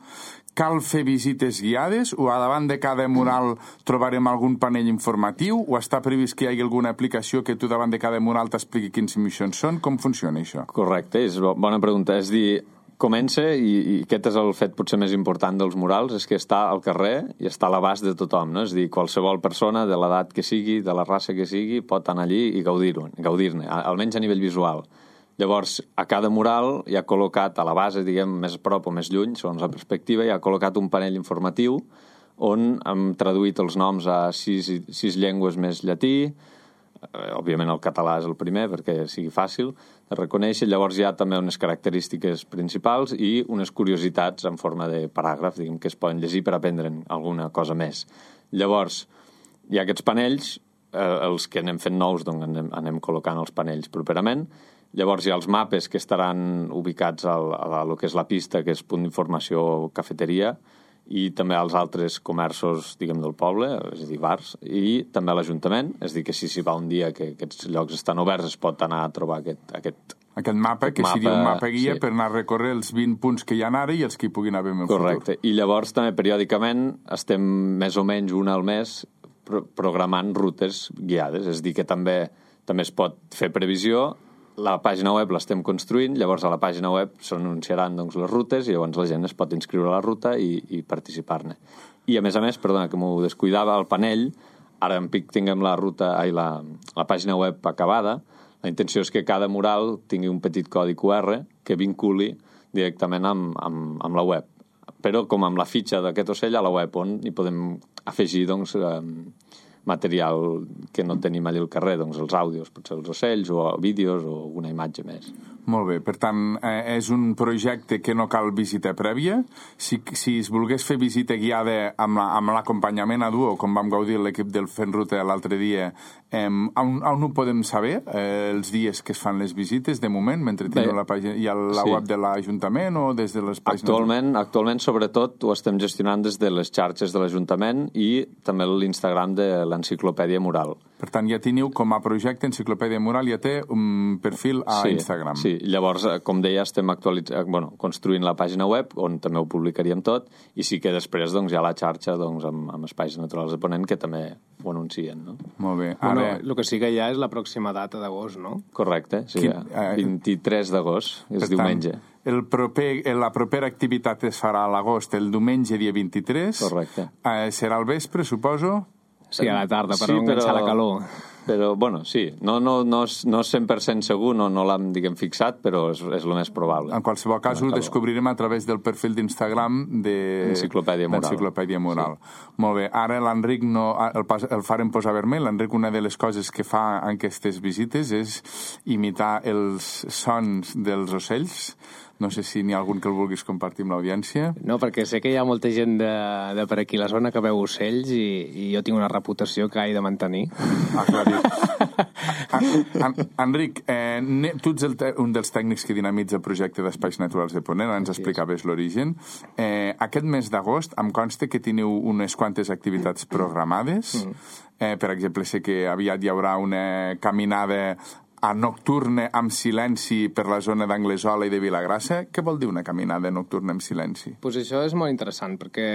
cal fer visites guiades o a davant de cada mural trobarem algun panell informatiu o està previst que hi hagi alguna aplicació que tu davant de cada mural t'expliqui quins missions són? Com funciona això? Correcte, és bona pregunta. És dir, comença, i, i aquest és el fet potser més important dels murals, és que està al carrer i està a l'abast de tothom, no? És dir, qualsevol persona de l'edat que sigui, de la raça que sigui, pot anar allí i gaudir-ne, gaudir-ne, almenys a nivell visual. Llavors, a cada mural hi ha col·locat a la base, diguem, més a prop o més lluny, segons la perspectiva, hi ha col·locat un panell informatiu on hem traduït els noms a sis, sis llengües més llatí, eh, òbviament el català és el primer perquè sigui fàcil de reconèixer. Llavors hi ha també unes característiques principals i unes curiositats en forma de paràgraf, diguem, que es poden llegir per aprendre'n alguna cosa més. Llavors, hi ha aquests panells, eh, els que anem fent nous, doncs anem, anem col·locant els panells properament. Llavors hi ha els mapes que estaran ubicats al, a lo que és la pista, que és punt d'informació o cafeteria, i també als altres comerços, diguem, del poble, és a dir, bars, i també a l'Ajuntament, és a dir, que si s'hi va un dia que aquests llocs estan oberts es pot anar a trobar aquest... Aquest, aquest mapa, que mapa, seria un mapa guia sí. Per anar a recórrer els vint punts que hi ha ara i els que hi puguin haver en el Correcte. futur. I llavors també periòdicament estem més o menys una al mes pro programant rutes guiades, és a dir, que també, també es pot fer previsió. La pàgina web l'estem construint, llavors a la pàgina web s'anunciaran doncs, les rutes i llavors la gent es pot inscriure a la ruta i, i participar-ne. I a més a més, perdona, que m'ho descuidava, el panell, ara en pic tinguem la ruta, ai, la, la pàgina web acabada, la intenció és que cada mural tingui un petit codi Q R que vinculi directament amb, amb, amb la web. Però com amb la fitxa d'aquest ocell a la web, on hi podem afegir, doncs, eh, material que no tenim allà al carrer, doncs els àudios, potser els ocells o vídeos o alguna imatge més. Molt bé, per tant, eh, és un projecte que no cal visita prèvia. Si, si es volgués fer visita guiada amb l'acompanyament a duo, com vam gaudir l'equip del Fent Ruta l'altre dia, eh, on, on ho podem saber, eh, els dies que es fan les visites, de moment, mentre teniu la pàgina, hi ha la sí. web de l'Ajuntament o des de les pàgines? Actualment, actualment, sobretot, ho estem gestionant des de les xarxes de l'Ajuntament i també l'Instagram de l'Enciclopèdia Mural. Per tant, ja teniu com a projecte Enciclopèdia Mural, ja té un perfil a sí, Instagram. Sí, llavors, com deia, estem actualitzant, bueno, construint la pàgina web, on també ho publicaríem tot, i sí que després doncs, hi ha la xarxa doncs, amb, amb Espais Naturals de Ponent, que també ho anuncien. No? Molt bé. Bueno, Ara... el que sí que hi ha és la pròxima data d'agost, no? Correcte, sí, Quin, eh, vint-i-tres d'agost, és per diumenge. Tant, el proper, la propera activitat es farà a l'agost, el diumenge dia vint-i-tres. Correcte. Eh, serà al vespre, suposo? Sí, a la tarda, per sí, no enganxar però... la calor. Però, bueno, sí, no, no, no, no cent per cent segur, no, no l'hem, diguem, fixat, però és, és el més probable. En qualsevol cas, ho descobrirem a través del perfil d'Instagram de... Enciclopèdia Mural. Enciclopèdia Mural. Sí. Molt bé. Ara l'Enric no, el, el farem posar vermell. L'Enric, una de les coses que fa en aquestes visites és imitar els sons dels ocells. No sé si n'hi ha algun que el vulguis compartir amb l'audiència. No, perquè sé que hi ha molta gent de, de per aquí a la zona que veu ocells i, i jo tinc una reputació que he de mantenir. Aclarit. en, en, Enric, eh, tu ets el te, un dels tècnics que dinamitza el projecte d'Espais Naturals de Ponent, ens explicaves l'origen. Eh, aquest mes d'agost em consta que teniu unes quantes activitats programades. Mm. Eh, per exemple, sé que aviat hi haurà una caminada a nocturna amb silenci per la zona d'Anglesola i de Vilagrassa. Què vol dir una caminada nocturna amb silenci? Pues això és molt interessant, perquè,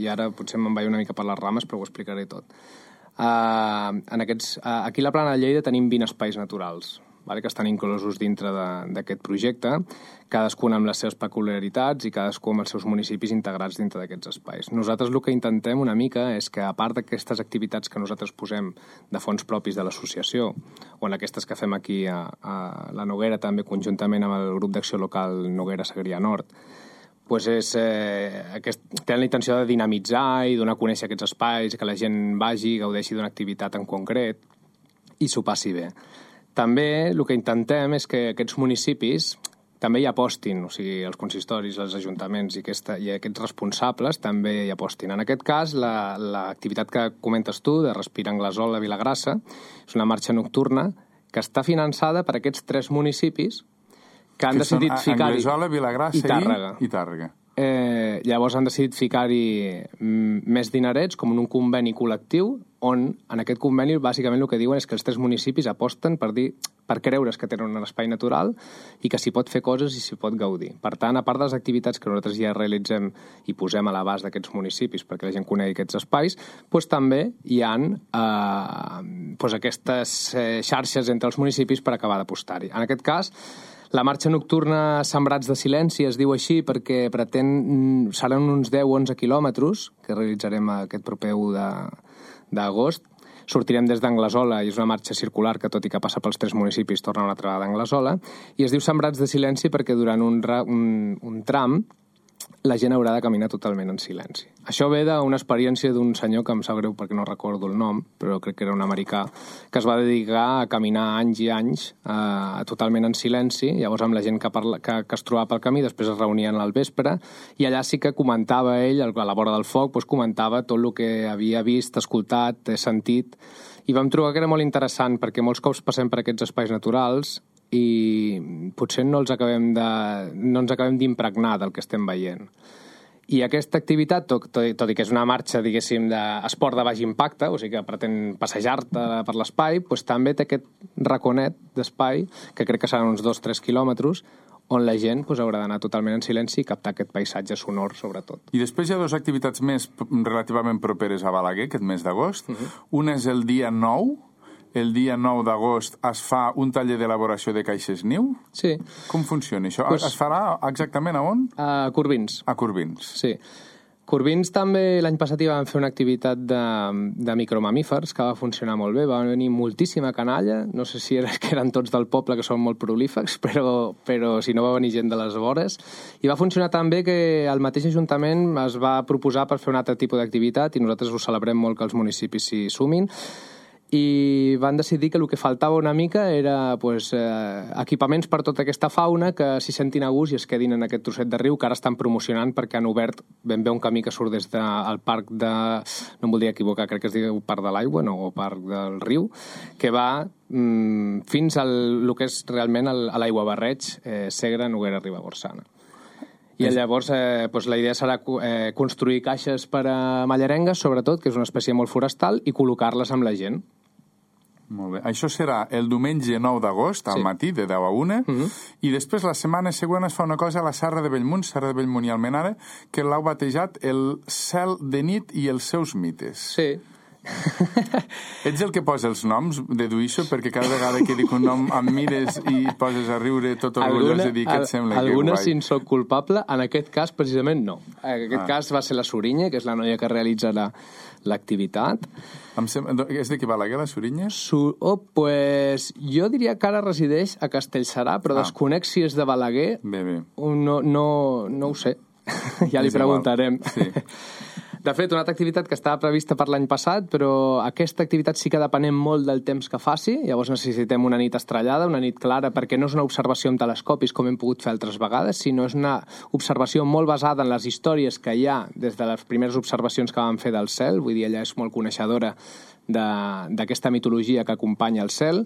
i ara potser me'n vaig una mica per les rames, però ho explicaré tot. Uh, en aquests, uh, aquí a la Plana de Lleida tenim vint espais naturals, vale, que estan inclosos dintre d'aquest projecte, cadascun amb les seves peculiaritats i cadascú amb els seus municipis integrats dintre d'aquests espais. Nosaltres el que intentem una mica és que, a part d'aquestes activitats que nosaltres posem de fons propis de l'associació, o en aquestes que fem aquí a, a la Noguera, també conjuntament amb el grup d'acció local Noguera Segrià Nord, pues és, eh, aquest, tenen la intenció de dinamitzar i donar a conèixer aquests espais, que la gent vagi, gaudeixi d'una activitat en concret i s'ho passi bé. També el que intentem és que aquests municipis també hi apostin, o sigui, els consistoris, els ajuntaments i, aquesta, i aquests responsables també hi apostin. En aquest cas, l'activitat la, que comentes tu, de Respira Anglesola, Vilagrassa, és una marxa nocturna que està finançada per aquests tres municipis que han que decidit ficar-hi... Anglesola, Vilagrassa i Tàrrega. I, i Tàrrega. Eh, llavors han decidit ficar-hi més dinerets, com en un conveni col·lectiu, on en aquest conveni bàsicament el que diuen és que els tres municipis aposten per dir per creure's que tenen un espai natural i que s'hi pot fer coses i s'hi pot gaudir. Per tant, a part de les activitats que nosaltres ja realitzem i posem a l'abast d'aquests municipis perquè la gent conegui aquests espais, doncs també hi ha eh, doncs aquestes eh, xarxes entre els municipis per acabar d'apostar-hi. En aquest cas, la marxa nocturna Sembrats de Silenci es diu així perquè pretén, seran uns deu o onze quilòmetres que realitzarem aquest proper u d'agost. Sortirem des d'Anglesola i és una marxa circular que, tot i que passa pels tres municipis, torna una altra vegada a Anglesola. I es diu Sembrats de Silenci perquè durant un, un, un tram la gent haurà de caminar totalment en silenci. Això ve d'una experiència d'un senyor que em sap greu perquè no recordo el nom, però crec que era un americà, que es va dedicar a caminar anys i anys eh, totalment en silenci, llavors amb la gent que, parla, que, que es trobava pel camí, després es reunien al vespre, i allà sí que comentava ell, a la vora del foc, doncs comentava tot el que havia vist, escoltat, sentit, i vam trobar que era molt interessant perquè molts cops passem per aquests espais naturals i potser no, els acabem de, no ens acabem d'impregnar del que estem veient. I aquesta activitat, tot, tot, tot i que és una marxa, diguéssim, d'esport de baix impacte, o sigui que pretén passejar-te per l'espai, doncs també té aquest raconet d'espai, que crec que seran uns dos o tres quilòmetres, on la gent doncs, haurà d'anar totalment en silenci i captar aquest paisatge sonor, sobretot. I després hi ha dues activitats més relativament properes a Balaguer, aquest mes d'agost. Uh-huh. Una és el dia nou, el dia nou d'agost es fa un taller d'elaboració de caixes niu? Sí. Com funciona això? Pues, es farà exactament a on? A Corbins. A Corbins. Sí. Corbins també l'any passat hi van fer una activitat de, de micromamífers que va funcionar molt bé, va venir moltíssima canalla, no sé si era, que eren tots del poble que són molt prolífics, però, però si no va venir gent de les vores, i va funcionar tan bé que el mateix Ajuntament es va proposar per fer un altre tipus d'activitat i nosaltres ho celebrem molt que els municipis s'hi sumin, i van decidir que el que faltava una mica era pues, eh, equipaments per tota aquesta fauna que s'hi sentin a gust i es quedin en aquest trosset de riu que ara estan promocionant perquè han obert ben bé un camí que surt des del parc de... no em voldria equivocar, crec que es diu Parc de l'Aigua, no, o Parc del Riu, que va mm, fins al el que és realment el, a l'Aigua Barreig, eh, Segre, Noguera, Ribagorsana. I llavors eh, doncs la idea serà eh, construir caixes per a mallerengues, sobretot, que és una espècie molt forestal, i col·locar-les amb la gent. Molt bé. Això serà el diumenge nou d'agost, al sí. matí, de deu a una, uh-huh. i després la setmana següent es fa una cosa a la Serra de Bellmunt, Serra de Bellmunt i Almenara, que l'heu batejat el cel de nit i els seus mites. Sí. Ets el que posa els noms, deduïixo, perquè cada vegada que dic un nom em mires i poses a riure tot orgullós de dir que et sembla que guai. Alguna, si en soc culpable, en aquest cas precisament no. En aquest ah. cas va ser la Sorinya, que és la noia que realitza l'activitat. Sem- és d'aquí Balaguer, la Sorinya? Su- oh, pues, jo diria que ara resideix a Castellserà, però ah. desconec si és de Balaguer. Bé, bé. No, no, no ho sé. Ja li preguntarem. Sí. De fet, una altra activitat que estava prevista per l'any passat, però aquesta activitat sí que depenem molt del temps que faci, llavors necessitem una nit estrellada, una nit clara, perquè no és una observació amb telescopis com hem pogut fer altres vegades, sinó és una observació molt basada en les històries que hi ha des de les primeres observacions que vam fer del cel, vull dir, ella és molt coneixedora d'aquesta mitologia que acompanya el cel,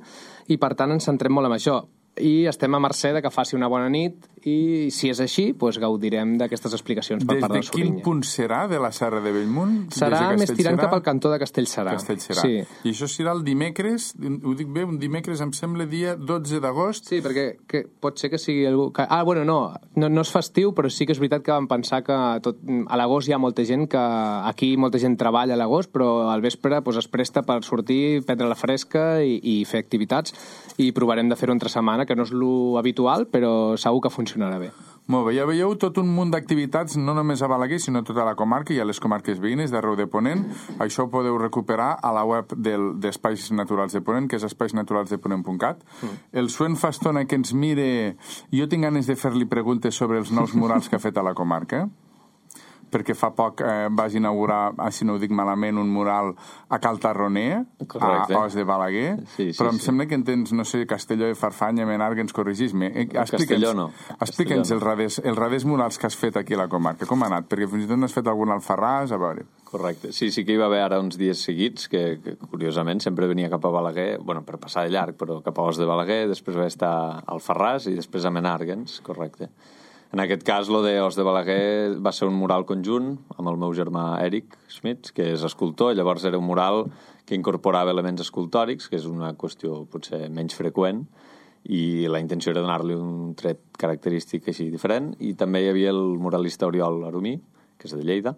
i per tant ens centrem molt en això. I estem a mercè de que faci una bona nit i, si és així, doncs gaudirem d'aquestes explicacions per Des part de la Sorinya. Des de quin punt serà de la Serra de Bellmunt? Serà més tirant cap al cantó de Castellserà. Castellserà. Sí. I això serà el dimecres, ho dic bé, un dimecres em sembla dia dotze d'agost. Sí, perquè que pot ser que sigui algú... Que... Ah, bueno, no, no, no és festiu, però sí que és veritat que vam pensar que tot... a l'agost hi ha molta gent que... Aquí molta gent treballa a l'agost, però al vespre doncs, es presta per sortir, prendre la fresca i, i fer activitats, i provarem de fer-ho entre setmana, que no és lo habitual, però segur que funcionarà bé. Molt bé, ja veieu tot un munt d'activitats, no només a Balaguer, sinó a tota la comarca i a les comarques veïnes d'arreu de Ponent. Això ho podeu recuperar a la web del, d'Espais Naturals de Ponent, que és espais naturals de ponent punt cat. Mm. El Suen fa estona que ens mire... Jo tinc ganes de fer-li preguntes sobre els nous murals que ha fet a la comarca, perquè fa poc eh, vas inaugurar, si no ho dic malament, un mural a Cal Tarroner, a Os de Balaguer, sí, sí, però em sí. sembla que en tens, no sé, Castelló de Farfanya, Menargues, ens corregis-me. Eh, Castelló no. Explica'ns els raders, els raders murals que has fet aquí a la comarca. Com ha anat? Perquè fins i tot n'has fet algun al Alfarràs, a veure. Correcte. Sí, sí que hi va haver ara uns dies seguits que, que curiosament, sempre venia cap a Balaguer, bueno, per passar de llarg, però cap a Os de Balaguer, després va estar al Alfarràs i després a Menargues, correcte. En aquest cas, lo de Os de Balaguer va ser un mural conjunt amb el meu germà Eric Schmitz, que és escultor, i llavors era un mural que incorporava elements escultòrics, que és una qüestió potser menys freqüent, i la intenció era donar-li un tret característic així diferent. I també hi havia el muralista Oriol Arumí, que és de Lleida,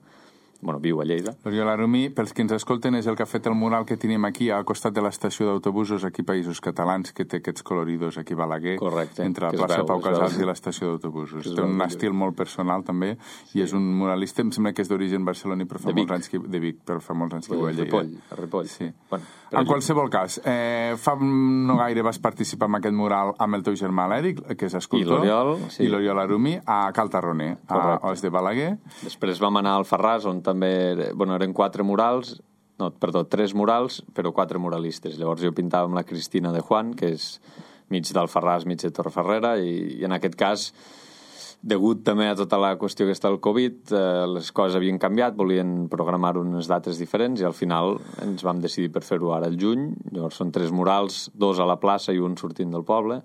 bueno, viu a Lleida. L'Oriol Arumí, pels que ens escolten, és el que ha fet el mural que tenim aquí al costat de l'estació d'autobusos aquí Països Catalans, que té aquests coloridos aquí a Balaguer. Correcte. Entre la que plaça veu, Pau Casals veu. i l'estació d'autobusos. Que Té un veu, estil molt personal, també, sí. I és un muralista, em sembla que és d'origen barceloní, però fa molts anys que... De Vic, però fa molts anys que viu a Lleida. Ripoll, a Ripoll. Sí. Bueno, en qualsevol cas, eh, fa no gaire vas participar en aquest mural amb el teu germà l'Èric, que és escultor, i l'Oriol, sí. i l'Oriol Arumí, a Cal Tarroner, a Os de Balaguer. Després vam anar al Farràs, on també... Bueno, eren quatre murals, no, perdó, tres murals, però quatre muralistes. Llavors jo pintava amb la Cristina de Juan, que és mig del Farràs, mig de Torreferrera, i, i en aquest cas, degut també a tota la qüestió que està el Covid, eh, les coses havien canviat, volien programar unes dates diferents, i al final ens vam decidir per fer-ho ara al juny. Llavors són tres murals, dos a la plaça i un sortint del poble,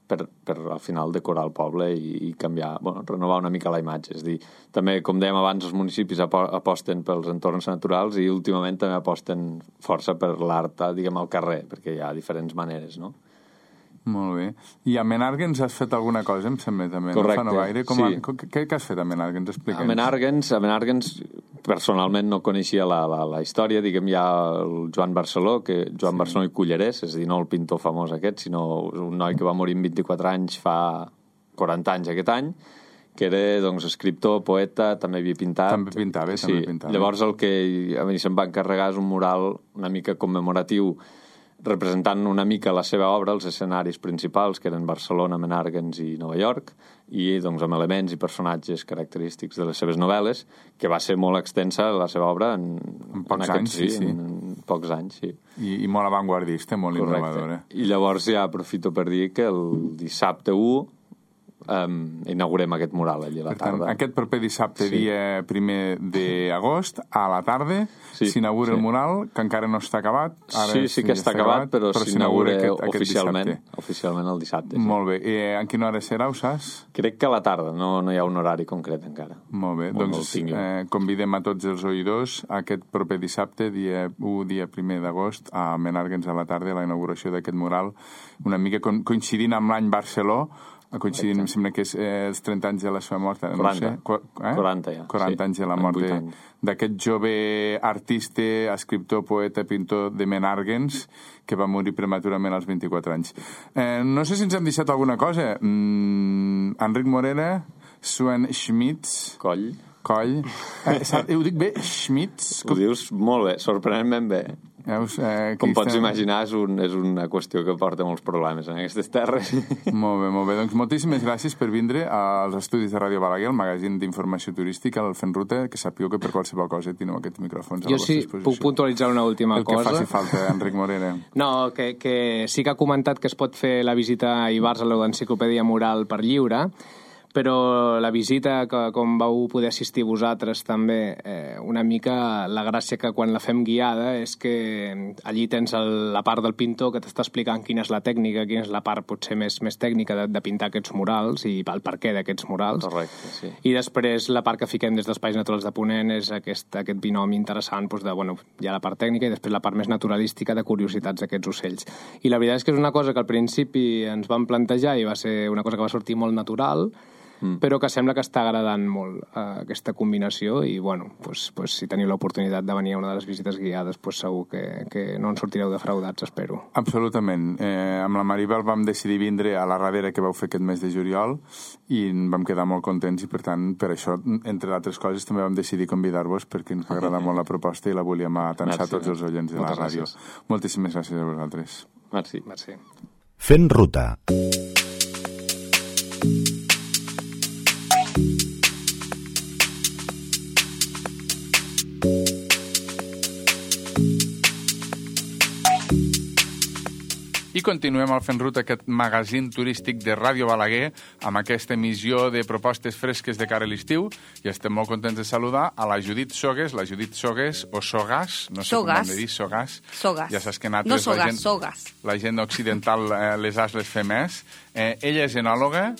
per, per al final decorar el poble i, i canviar, bueno, renovar una mica la imatge. És dir, també, com dèiem abans, els municipis aposten pels entorns naturals i últimament també aposten força per l'art, diguem, al carrer, perquè hi ha diferents maneres, no? Molt bé. I a Menàrguens has fet alguna cosa, em sembla, també? Correcte, no fa no gaire. Com sí. a, què, què has fet a Menàrguens? Explica'ns. A Menàrguens, a Menàrguens personalment no coneixia la, la, la història. Diguem, hi ha el Joan Barceló, que Joan sí. Barceló i Cullerès, és a dir, no el pintor famós aquest, sinó un noi que va morir amb vint-i-quatre anys fa quaranta anys aquest any, que era, doncs, escriptor, poeta, també havia pintat. També pintava, sí. també pintava. Llavors el que a mi se'm va encarregar és un mural una mica commemoratiu representant una mica la seva obra, els escenaris principals, que eren Barcelona, Menàrguens i Nova York, i doncs amb elements i personatges característics de les seves novel·les, que va ser molt extensa la seva obra en, en pocs en anys, sí, sí. En, en pocs anys, sí. I, i molt avantguardista, molt Correcte. Innovadora. I llavors ja aprofito per dir que el dissabte u um, inaugurem aquest mural allà a la per tant, tarda. Aquest proper dissabte, sí. dia primer d'agost, a la tarda, sí, s'inaugura sí. el mural, que encara no està acabat. Ara sí, sí que està acabat, però, però s'inaugura aquest, aquest oficialment, dissabte. oficialment el dissabte. Sí. Molt bé. I en quina hora serà, ho saps? Crec que a la tarda, no, no hi ha un horari concret encara. Molt bé, Molt doncs eh, convidem a tots els oïdors aquest proper dissabte, dia u, dia primer d'agost, a Menàrguens a la tarda, a la inauguració d'aquest mural, una mica coincidint amb l'any Barceló, coincidint, em sembla que és eh, els trenta anys de la seva mort, no quaranta. sé. Qu eh? quaranta, ja. quaranta sí. anys de la mort d'aquest jove artista, escriptor, poeta, pintor de Menàrguens, que va morir prematurament als vint-i-quatre anys. Eh, no sé si ens hem deixat alguna cosa. Mm, Enric Morera, Sven Schmitz... Coll. Coll. Eh, ho dic bé? Schmitz? Ho dius molt bé, sorprenentment bé. Veus, eh, Com pots estem... imaginar, és, un, és una qüestió que porta molts problemes en aquestes terres. Molt bé, molt bé. Doncs moltíssimes gràcies per vindre als estudis de Ràdio Balaguer, el magazín d'informació turística, el Fent Ruta, que sapigueu que per qualsevol cosa teniu aquests micròfons a la vostra sí, disposició. Jo sí puc puntualitzar una última el cosa. El que faci falta, Enric Morera. No, que, que sí que ha comentat que es pot fer la visita a Ivars a l'Enciclopèdia Mural per lliure, però la visita, que com vau poder assistir vosaltres també, eh, una mica la gràcia que quan la fem guiada és que allí tens el, la part del pintor que t'està explicant quina és la tècnica, quina és la part potser més, més tècnica de, de pintar aquests murals i el perquè d'aquests murals. Correcte, sí. I després la part que fiquem des d'Espais Naturals de Ponent és aquest, aquest binomi interessant doncs de, bueno, hi ha la part tècnica i després la part més naturalística de curiositats d'aquests ocells. I la veritat és que és una cosa que al principi ens vam plantejar i va ser una cosa que va sortir molt natural, Mm. però que sembla que està agradant molt eh, aquesta combinació i, bueno, pues, pues, si teniu l'oportunitat de venir a una de les visites guiades, pues, segur que, que no en sortireu defraudats, espero. Absolutament. Eh, amb la Maribel vam decidir vindre a la radera que vau fer aquest mes de juliol i vam quedar molt contents i, per tant, per això, entre altres coses, també vam decidir convidar-vos perquè ens va agradar molt la proposta i la volíem atansar a tots els oients de la ràdio. Gràcies. Moltíssimes gràcies a vosaltres. Merci. Merci. Fent Ruta. I continuem al Fent Ruta, aquest magazín turístic de Ràdio Balaguer, amb aquesta emissió de propostes fresques de cara a l'estiu, i estem molt contents de saludar a la Judit Sogues, la Judit Sogues, o Sogas, no sé Sogas. com hem de dir, Sogas. Sogas. Ja saps que nosaltres, no Sogas, la gent, Sogas. la gent occidental, eh, les has les fem més. Eh, ella és enòloga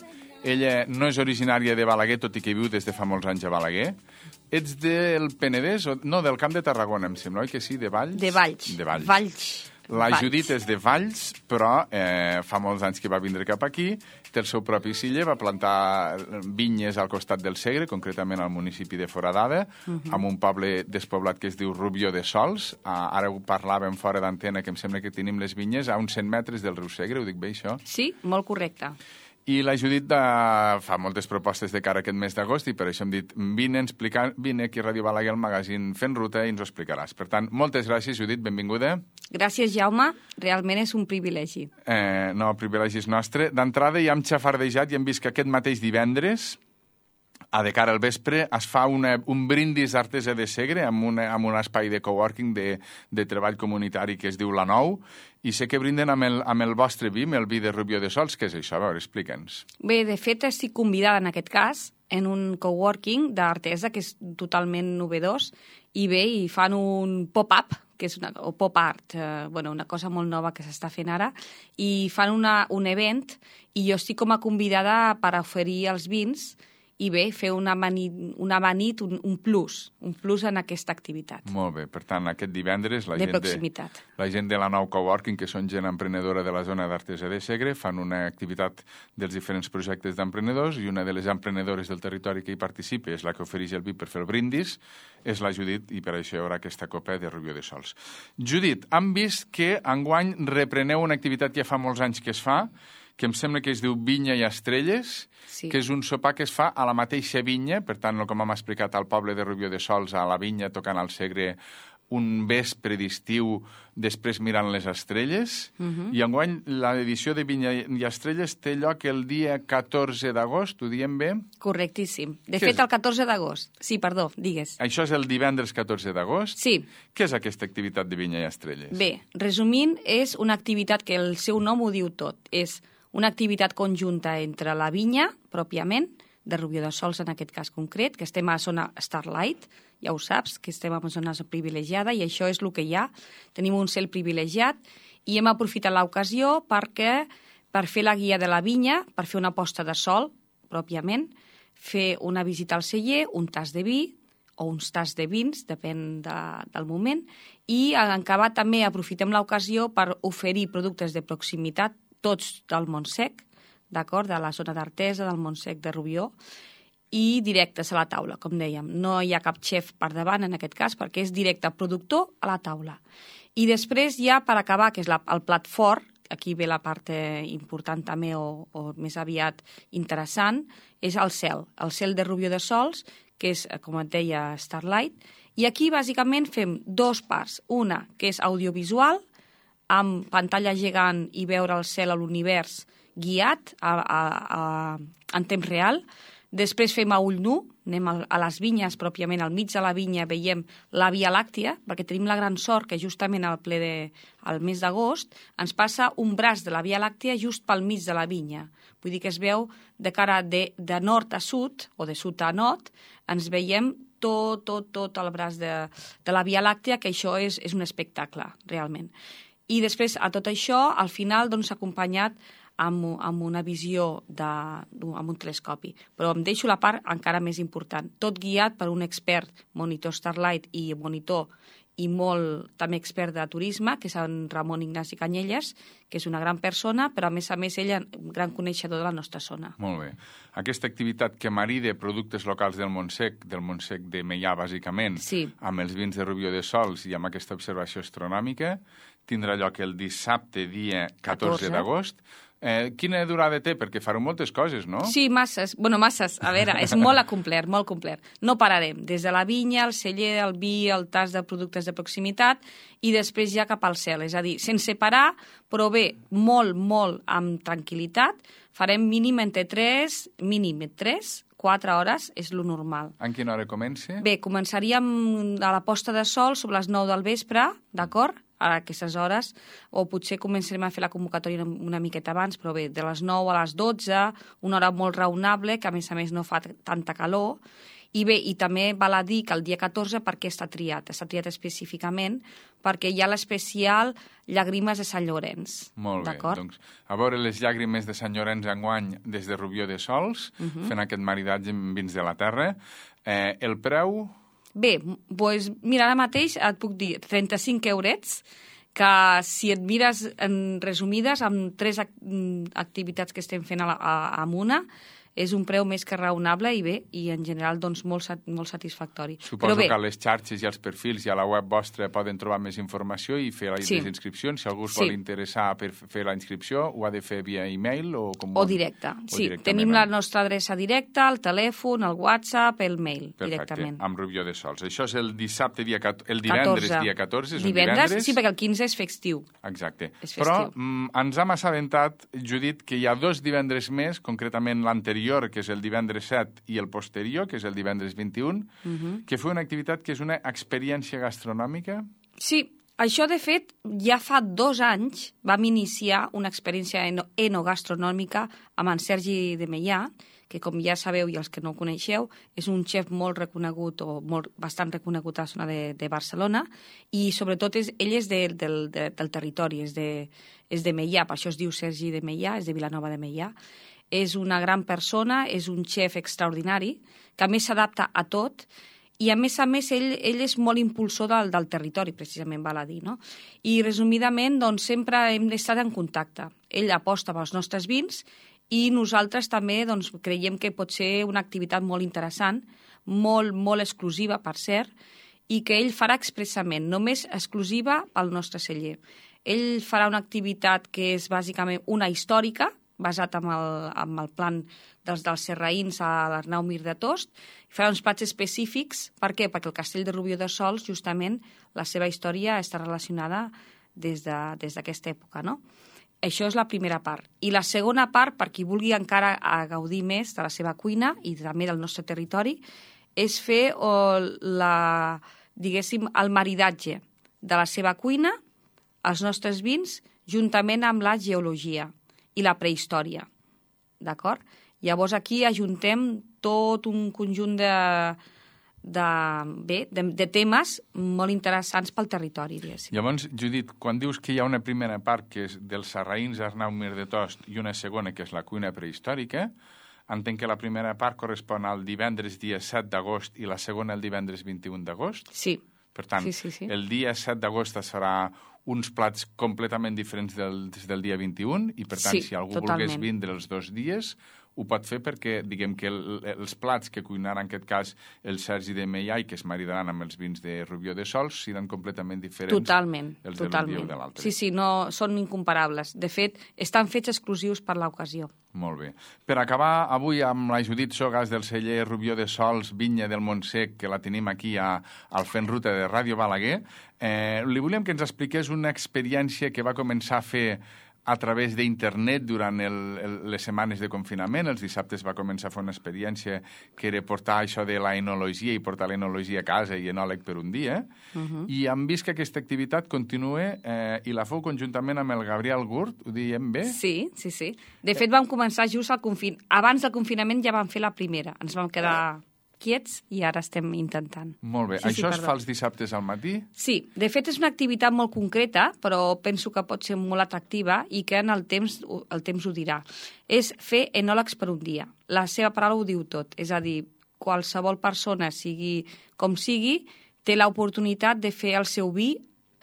Ella no és originària de Balaguer, tot i que viu des de fa molts anys a Balaguer. Ets del Penedès? O... No, del Camp de Tarragona, em sembla, oi que sí? De Valls? De Valls. De Valls. Valls. La Valls. Judit és de Valls, però eh, fa molts anys que va vindre cap aquí, té el seu propi ciller, va plantar vinyes al costat del Segre, concretament al municipi de Foradada, uh -huh. amb un poble despoblat que es diu Rubió de Sols. Ah, ara ho parlàvem fora d'antena, que em sembla que tenim les vinyes a uns cent metres del riu Segre, ho dic bé, això? Sí, molt correcte. I la Judit de... fa moltes propostes de cara a aquest mes d'agost i per això hem dit, vine, explicar... vine aquí a Ràdio Balaguer, al magazín Fent Ruta, i ens ho explicaràs. Per tant, moltes gràcies, Judit, benvinguda. Gràcies, Jaume. Realment és un privilegi. Eh, no, el privilegi és nostre. D'entrada ja hem xafardejat i hem vist que aquest mateix divendres, a de cara al vespre, es fa una, un brindis artesa de Segre amb, una, amb un espai de coworking de, de treball comunitari que es diu La Nou, i sé que brinden amb el, amb el vostre vi, amb el vi de Rubió de Sols. Què és això? A veure, explica'ns. Bé, de fet, estic convidada en aquest cas en un coworking d'artesa que és totalment novedós, i bé, i fan un pop-up, que és una, o pop art, eh, bueno, una cosa molt nova que s'està fent ara, i fan una, un event, i jo estic com a convidada per oferir els vins i bé, fer una amanit, una amanit un, un plus, un plus en aquesta activitat. Molt bé, per tant, aquest divendres la, de gent, proximitat. de, la gent de la Nou Coworking, que són gent emprenedora de la zona d'Artesa de Segre, fan una activitat dels diferents projectes d'emprenedors, i una de les emprenedores del territori que hi participa és la que ofereix el vi per fer el brindis, és la Judit, i per això hi haurà aquesta copa de Rubió de Sols. Judit, hem vist que enguany repreneu una activitat que ja fa molts anys que es fa, que em sembla que es diu Vinya i Estrelles, sí. que és un sopar que es fa a la mateixa vinya, per tant, com hem explicat, al poble de Rubió de Sols, a la vinya, tocant al Segre, un vespre d'estiu, després mirant les estrelles, uh -huh. i enguany l'edició de Vinya i Estrelles té lloc el dia catorze d'agost, ho diem bé? Correctíssim. De Què fet, és? el catorze d'agost. Sí, perdó, digues. Això és el divendres catorze d'agost? Sí. Què és aquesta activitat de Vinya i Estrelles? Bé, resumint, és una activitat que el seu nom ho diu tot. És una activitat conjunta entre la vinya, pròpiament, de Rubió de Sols en aquest cas concret, que estem a zona Starlight, ja ho saps, que estem en zona privilegiada, i això és el que hi ha. Tenim un cel privilegiat i hem aprofitat l'ocasió perquè per fer la guia de la vinya, per fer una posta de sol, pròpiament, fer una visita al celler, un tas de vi o uns tas de vins, depèn de, del moment, i en acabar també aprofitem l'ocasió per oferir productes de proximitat, tots del Montsec, d'acord, de la zona d'Artesa, del Montsec de Rubió, i directes a la taula, com dèiem. No hi ha cap xef per davant en aquest cas, perquè és directe productor a la taula. I després ja, per acabar, que és la, el plat fort, aquí ve la part important també, o, o més aviat interessant, és el cel. El cel de Rubió de Sols, que és, com et deia, Starlight, i aquí bàsicament fem dos parts. Una, que és audiovisual, amb pantalla gegant i veure el cel a l'univers guiat a, a, a, en temps real. Després fem a ull nu, anem a, a les vinyes, pròpiament al mig de la vinya veiem la Via Làctia, perquè tenim la gran sort que justament al ple de, al mes d'agost ens passa un braç de la Via Làctia just pel mig de la vinya. Vull dir que es veu de cara de, de nord a sud, o de sud a nord, ens veiem tot, tot, tot el braç de, de la Via Làctia, que això és, és un espectacle, realment. I després, a tot això, al final, doncs, acompanyat amb, amb una visió, de, amb un telescopi. Però em deixo la part encara més important. Tot guiat per un expert, monitor Starlight i monitor i molt també expert de turisme, que és en Ramon Ignasi Canyelles, que és una gran persona, però a més a més ella un gran coneixedor de la nostra zona. Molt bé. Aquesta activitat que marida productes locals del Montsec, del Montsec de Meià, bàsicament, sí, amb els vins de Rubió de Sols i amb aquesta observació astronòmica, tindrà lloc el dissabte, dia catorze d'agost. Eh, quina durada té? Perquè fareu moltes coses, no? Sí, masses. Bueno, masses. A veure, és molt acomplert, molt complet. No pararem. Des de la vinya, el celler, el vi, el tas de productes de proximitat i després ja cap al cel. És a dir, sense parar, però bé, molt, molt amb tranquil·litat. Farem mínim entre tres, mínim tres, quatre hores, és lo normal. En quina hora comença? Bé, començaríem a la posta de sol sobre les nou del vespre, d'acord? a aquestes hores, o potser començarem a fer la convocatòria una, una miqueta abans, però bé, de les nou a les dotze, una hora molt raonable, que a més a més no fa tanta calor. I bé, i també val a dir que el dia catorze per què està triat? Està triat específicament perquè hi ha l'especial Llàgrimes de Sant Llorenç. Molt bé, doncs a veure les llàgrimes de Sant Llorenç enguany des de Rubió de Sols, uh -huh. fent aquest maridatge amb vins de la terra. Eh, el preu... Bé, doncs mira, ara mateix et puc dir trenta-cinc eurets, que si et mires en resumides amb tres activitats que estem fent a, a, amb una, és un preu més que raonable i bé, i en general doncs molt, molt satisfactori. Suposo que a les xarxes i als perfils i a la web vostra poden trobar més informació i fer les sí. inscripcions. Si algú es sí. vol interessar per fer la inscripció, ho ha de fer via e-mail o com... O directe, o sí. Tenim la nostra adreça directa, el telèfon, el WhatsApp, el mail, perfecte, directament. Amb Rubió de Sols. Això és el dissabte, dia el divendres, catorze. Dia catorze, és divendres, un divendres. Sí, perquè el quinze és festiu. Exacte. És festiu. Però mm, ens hem assabentat, Judit, que hi ha dos divendres més, concretament l'anterior, que és el divendres set, i el posterior, que és el divendres vint-i-un, uh -huh. que fa una activitat que és una experiència gastronòmica? Sí, això, de fet, ja fa dos anys vam iniciar una experiència eno enogastronòmica amb en Sergi de Meià, que, com ja sabeu, i els que no ho coneixeu, és un xef molt reconegut, o molt, bastant reconegut a la zona de, de Barcelona, i sobretot és, ell és de, del, de, del territori, és de, és de Meià, per això es diu Sergi de Meià, és de Vilanova de Meià. És una gran persona, és un xef extraordinari, que a més s'adapta a tot, i a més a més ell, ell és molt impulsor del, del territori, precisament, val a dir, no? I resumidament, doncs, sempre hem estat en contacte. Ell aposta pels nostres vins i nosaltres també doncs, creiem que pot ser una activitat molt interessant, molt, molt exclusiva, per cert, i que ell farà expressament, només exclusiva pel nostre celler. Ell farà una activitat que és bàsicament una històrica, basat en el, en el plan dels, dels serraïns a l'Arnau Mir de Tost, i farà uns plats específics. Per què? Perquè el castell de Rubió de Sols, justament, la seva història està relacionada des de, des d'aquesta època, no? Això és la primera part. I la segona part, per qui vulgui encara a gaudir més de la seva cuina i també del nostre territori, és fer o, la, diguéssim, el maridatge de la seva cuina, els nostres vins, juntament amb la geologia i la prehistòria, d'acord? Llavors aquí ajuntem tot un conjunt de, de, bé, de, de temes molt interessants pel territori, diguéssim. Llavors, Judit, quan dius que hi ha una primera part que és dels sarraïns Arnau Mir de Tost i una segona que és la cuina prehistòrica, entenc que la primera part correspon al divendres dia set d'agost i la segona el divendres vint-i-un d'agost? Sí. Per tant, sí, sí, sí. el dia set d'agost es farà uns plats completament diferents del, del dia vint-i-un i, per tant, sí, si algú totalment. volgués vindre els dos dies, ho pot fer perquè, diguem que el, els plats que cuinarà en aquest cas el Sergi de Meià i que es maridaran amb els vins de Rubió de Sols seran completament diferents totalment, els totalment. de l'un dia o de l'altre. Sí, sí, no, són incomparables. De fet, estan fets exclusius per l'ocasió. Molt bé. Per acabar avui amb la Judit Sogas del celler Rubió de Sols, Vinya del Montsec, que la tenim aquí a, al Fent Ruta de Ràdio Balaguer, eh, li volíem que ens expliqués una experiència que va començar a fer a través d'internet durant el, el, les setmanes de confinament. Els dissabtes va començar a fer una experiència que era portar això de la enologia i portar l'enologia a casa i enòleg per un dia. Uh -huh. I hem vist que aquesta activitat continua eh, i la feu conjuntament amb el Gabriel Gurt, ho diem bé? Sí, sí, sí. De fet, vam començar just al confin... Abans del confinament ja vam fer la primera. Ens vam quedar quiets i ara estem intentant. Molt bé. Sí, Això sí, es fa els dissabtes al matí? Sí. De fet, és una activitat molt concreta, però penso que pot ser molt atractiva i que en el temps, el temps ho dirà. És fer enòlegs per un dia. La seva paraula ho diu tot. És a dir, qualsevol persona, sigui com sigui, té l'oportunitat de fer el seu vi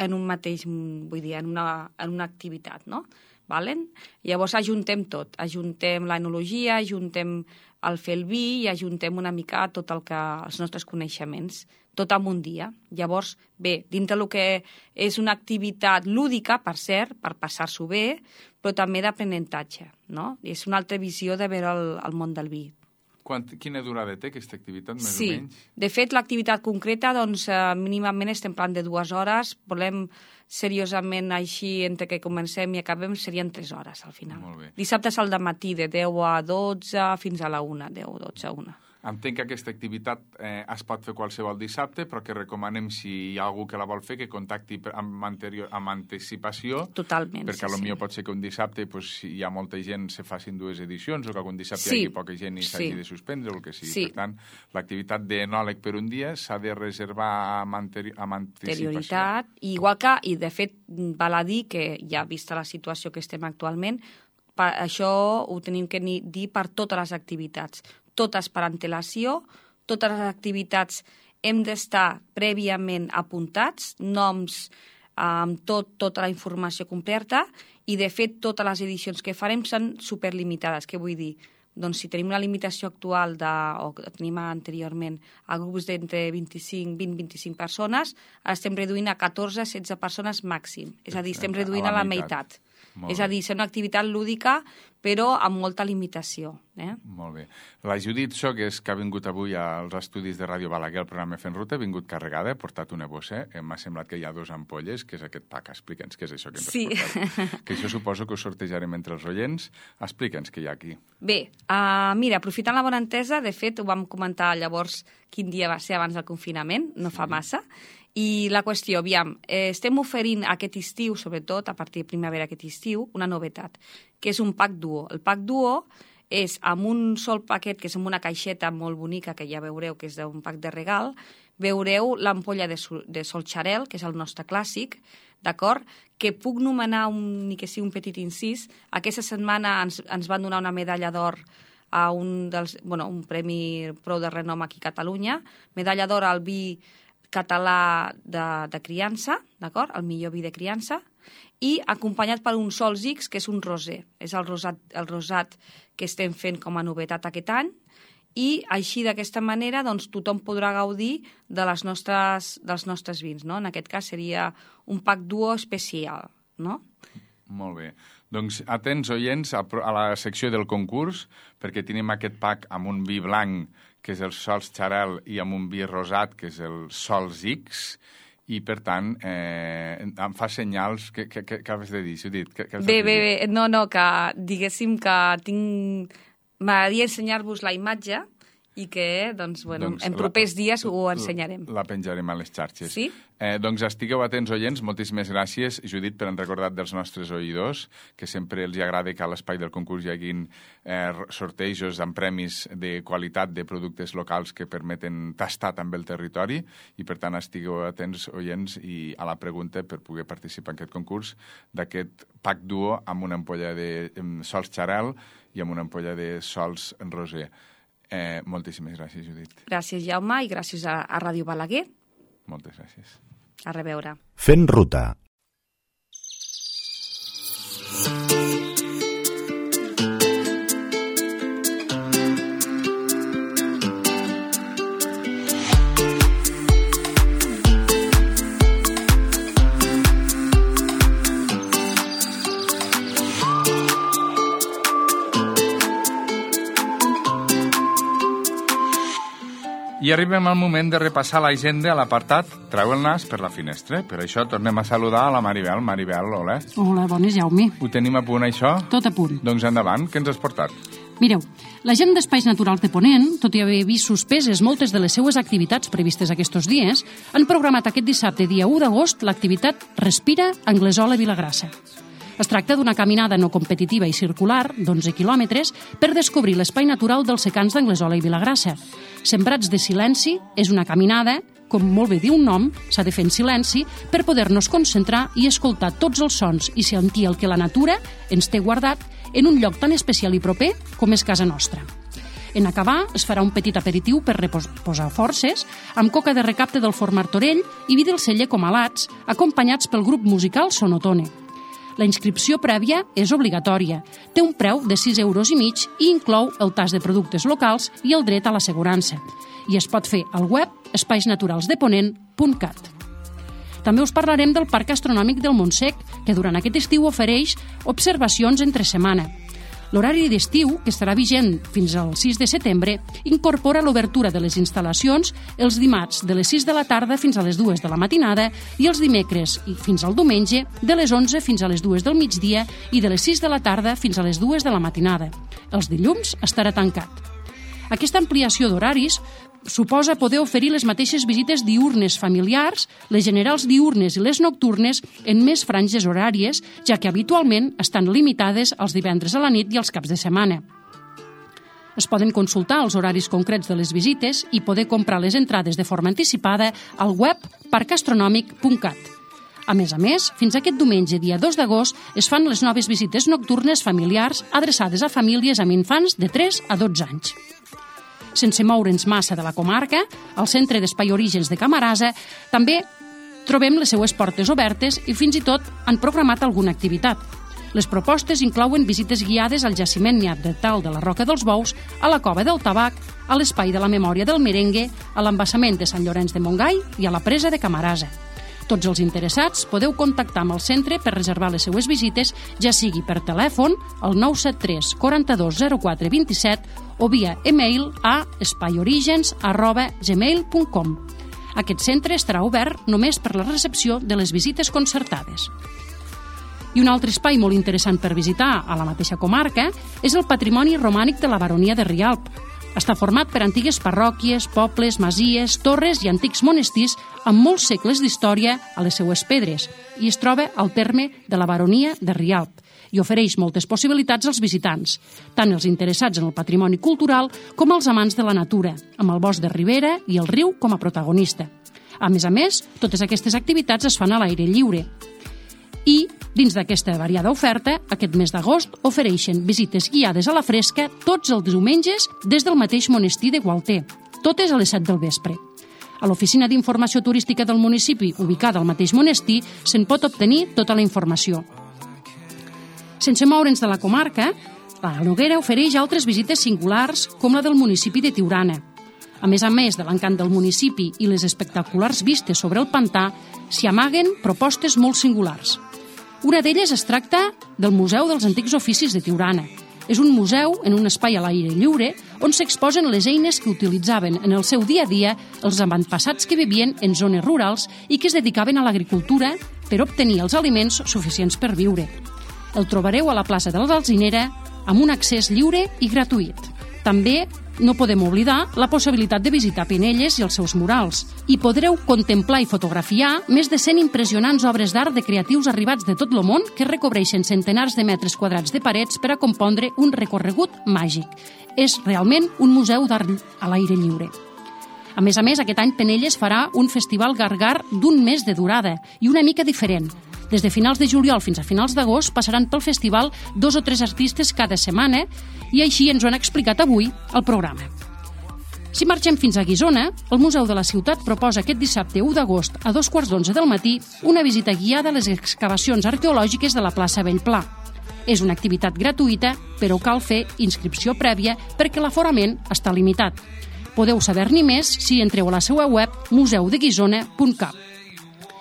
en un mateix, vull dir, en una, en una activitat, no? Valen? Llavors ajuntem tot. Ajuntem l'enologia, ajuntem el fer el vi i ajuntem una mica tot el que, els nostres coneixements, tot en un dia. Llavors, bé, dintre del que és una activitat lúdica, per cert, per passar-s'ho bé, però també d'aprenentatge, no? És una altra visió de veure el, el món del vi. Quant, quina durada té aquesta activitat, més sí. o menys? De fet, l'activitat concreta, doncs, eh, mínimament estem parlant de dues hores. Volem seriosament així, entre que comencem i acabem, serien tres hores, al final. Molt bé. Dissabtes al matí, de deu a dotze, fins a la una, deu, dotze, una. Entenc que aquesta activitat eh, es pot fer qualsevol dissabte, però que recomanem, si hi ha algú que la vol fer, que contacti amb, anterior, amb anticipació. Totalment, perquè sí, potser sí. pot ser que un dissabte, pues, si hi ha molta gent, se facin dues edicions, o que algun dissabte sí. hi hagi poca gent i s'hagi sí. de suspendre, o el que sigui. Sí. Per tant, l'activitat d'enòleg per un dia s'ha de reservar amb, anteri amb anticipació. Anterioritat, igual que, i de fet, val a dir que, ja vista la situació que estem actualment, per, això ho tenim que dir per totes les activitats. Totes per antelació, totes les activitats hem d'estar prèviament apuntats, noms amb tot, tota la informació completa, i de fet totes les edicions que farem són superlimitades. Què vull dir? Doncs si tenim la limitació actual, de, o que tenim anteriorment, a grups d'entre vint-i-cinc, vint a vint-i-cinc persones, estem reduint a catorze a setze persones màxim. És a dir, estem reduint a la, a la meitat. meitat. Molt és a dir, és una activitat lúdica, però amb molta limitació. Eh? Molt bé. La Judit Sogues, que ha vingut avui als estudis de Ràdio Balaguer, al programa Fent Ruta, ha vingut carregada, ha portat una bossa, eh? M'ha semblat que hi ha dos ampolles, que és aquest pack. Explica'ns què és això que ens sí. has portat. Que això suposo que ho sortejarem entre els oients. Explica'ns què hi ha aquí. Bé, uh, mira, aprofitant la bona entesa, de fet, ho vam comentar llavors quin dia va ser abans del confinament, no fa massa, i la qüestió, aviam, eh, estem oferint aquest estiu, sobretot a partir de primavera aquest estiu, una novetat, que és un pack duo. El pack duo és amb un sol paquet, que és amb una caixeta molt bonica, que ja veureu que és d'un pack de regal, veureu l'ampolla de, sol, de Solxarel, que és el nostre clàssic, d'acord? Que puc nomenar, un, ni que sigui un petit incís, aquesta setmana ens, ens van donar una medalla d'or a un, dels, bueno, un premi prou de renom aquí a Catalunya, medalla d'or al vi català de, de criança, d'acord? El millor vi de criança, i acompanyat per un Sols X, que és un rosé. És el rosat, el rosat que estem fent com a novetat aquest any, i així, d'aquesta manera, doncs, tothom podrà gaudir de les nostres, dels nostres vins, no? En aquest cas seria un pack duo especial, no? Molt bé. Doncs atents, oients, a, a la secció del concurs, perquè tenim aquest pack amb un vi blanc, que és el Sols Xarel, i amb un vi rosat, que és el Sols X, i, per tant, eh, em fa senyals... Què, què, què has de dir, Judit? Què, què bé, bé, bé. No, no, que diguéssim que tinc... M'agradaria ensenyar-vos la imatge i que, doncs, bueno, doncs, en propers la, dies ho ensenyarem. La penjarem a les xarxes. Sí? Eh, doncs estigueu atents, oients. Moltíssimes gràcies, Judit, per han recordat dels nostres oïdors, que sempre els agrada que a l'espai del concurs hi haguin eh, sortejos amb premis de qualitat de productes locals que permeten tastar també el territori, i per tant estigueu atents, oients, i a la pregunta per poder participar en aquest concurs d'aquest pack duo amb una ampolla de Sols Xarel i amb una ampolla de Sols Rosé. Eh, moltíssimes gràcies, Judit. Gràcies, Jaume, i gràcies a, a Ràdio Balaguer. Moltes gràcies. A reveure. Fent ruta. I arribem al moment de repassar l'agenda a l'apartat Treu el nas per la finestra. Per això tornem a saludar a la Maribel. Maribel, hola. Hola, bones, Jaume. Ho tenim a punt, això? Tot a punt. Doncs endavant, què ens has portat? Mireu, la gent d'Espais Naturals de Ponent, tot i haver vist suspeses moltes de les seues activitats previstes aquests dies, han programat aquest dissabte, dia u d'agost, l'activitat Respira Anglesola Vilagrassa. Es tracta d'una caminada no competitiva i circular d'onze quilòmetres per descobrir l'espai natural dels secans d'Anglesola i Vilagrassa. Sembrats de silenci és una caminada, com molt bé diu un nom, s'ha de fer en silenci per poder-nos concentrar i escoltar tots els sons i sentir el que la natura ens té guardat en un lloc tan especial i proper com és casa nostra. En acabar, es farà un petit aperitiu per reposar forces, amb coca de recapte del forn Martorell i vi del celler Comalats, acompanyats pel grup musical Sonotone. La inscripció prèvia és obligatòria, té un preu de sis euros i mig i inclou el tast de productes locals i el dret a l'assegurança. I es pot fer al web espais naturals de ponent punt cat. També us parlarem del Parc Astronòmic del Montsec, que durant aquest estiu ofereix observacions entre setmana. L'horari d'estiu, que estarà vigent fins al sis de setembre, incorpora l'obertura de les instal·lacions els dimarts de les sis de la tarda fins a les dues de la matinada i els dimecres i fins al diumenge de les onze fins a les dues del migdia i de les sis de la tarda fins a les dues de la matinada. Els dilluns estarà tancat. Aquesta ampliació d'horaris suposa poder oferir les mateixes visites diürnes familiars, les generals diürnes i les nocturnes en més franges horàries, ja que habitualment estan limitades als divendres a la nit i als caps de setmana. Es poden consultar els horaris concrets de les visites i poder comprar les entrades de forma anticipada al web parc astronòmic punt cat. A més a més, fins aquest diumenge, dia dos d'agost, es fan les noves visites nocturnes familiars adreçades a famílies amb infants de tres a dotze anys. Sense moure'ns massa de la comarca, al Centre d'Espai Orígens de Camarasa també trobem les seues portes obertes i fins i tot han programat alguna activitat. Les propostes inclouen visites guiades al jaciment neandertal de la Roca dels Bous, a la Cova del Tabac, a l'Espai de la Memòria del Merengue, a l'embassament de Sant Llorenç de Montgai i a la presa de Camarasa. Tots els interessats podeu contactar amb el centre per reservar les seues visites, ja sigui per telèfon al nou set tres, quaranta-dos, zero quatre, vint-i-set o via e-mail a espaiorigens arroba gmail punt com. Aquest centre estarà obert només per la recepció de les visites concertades. I un altre espai molt interessant per visitar a la mateixa comarca és el patrimoni romànic de la baronia de Rialp. Està format per antigues parròquies, pobles, masies, torres i antics monestirs amb molts segles d'història a les seues pedres i es troba al terme de la baronia de Rialp i ofereix moltes possibilitats als visitants, tant els interessats en el patrimoni cultural com els amants de la natura, amb el bosc de ribera i el riu com a protagonista. A més a més, totes aquestes activitats es fan a l'aire lliure. I, dins d'aquesta variada oferta, aquest mes d'agost ofereixen visites guiades a la fresca tots els diumenges des del mateix monestir de Gualter, totes a les set del vespre. A l'Oficina d'Informació Turística del municipi, ubicada al mateix monestir, se'n pot obtenir tota la informació. Sense moure'ns de la comarca, la Noguera ofereix altres visites singulars, com la del municipi de Tiurana. A més a més de l'encant del municipi i les espectaculars vistes sobre el pantà, s'hi amaguen propostes molt singulars. Una d'elles es tracta del Museu dels Antics Oficis de Tiurana. És un museu en un espai a l'aire lliure on s'exposen les eines que utilitzaven en el seu dia a dia els avantpassats que vivien en zones rurals i que es dedicaven a l'agricultura per obtenir els aliments suficients per viure. El trobareu a la plaça de l'Alzinera amb un accés lliure i gratuït. També no podem oblidar la possibilitat de visitar Penelles i els seus murals. I podreu contemplar i fotografiar més de cent impressionants obres d'art de creatius arribats de tot el món que recobreixen centenars de metres quadrats de parets per a compondre un recorregut màgic. És realment un museu d'art a l'aire lliure. A més a més, aquest any Penelles farà un festival gargar d'un mes de durada i una mica diferent. Des de finals de juliol fins a finals d'agost passaran pel festival dos o tres artistes cada setmana i així ens ho han explicat avui al programa. Si marxem fins a Guissona, el Museu de la Ciutat proposa aquest dissabte u d'agost a dos quarts d'onze del matí una visita guiada a les excavacions arqueològiques de la plaça Bellpla. És una activitat gratuïta, però cal fer inscripció prèvia perquè l'aforament està limitat. Podeu saber-ne més si entreu a la seva web museu de guissona punt cap.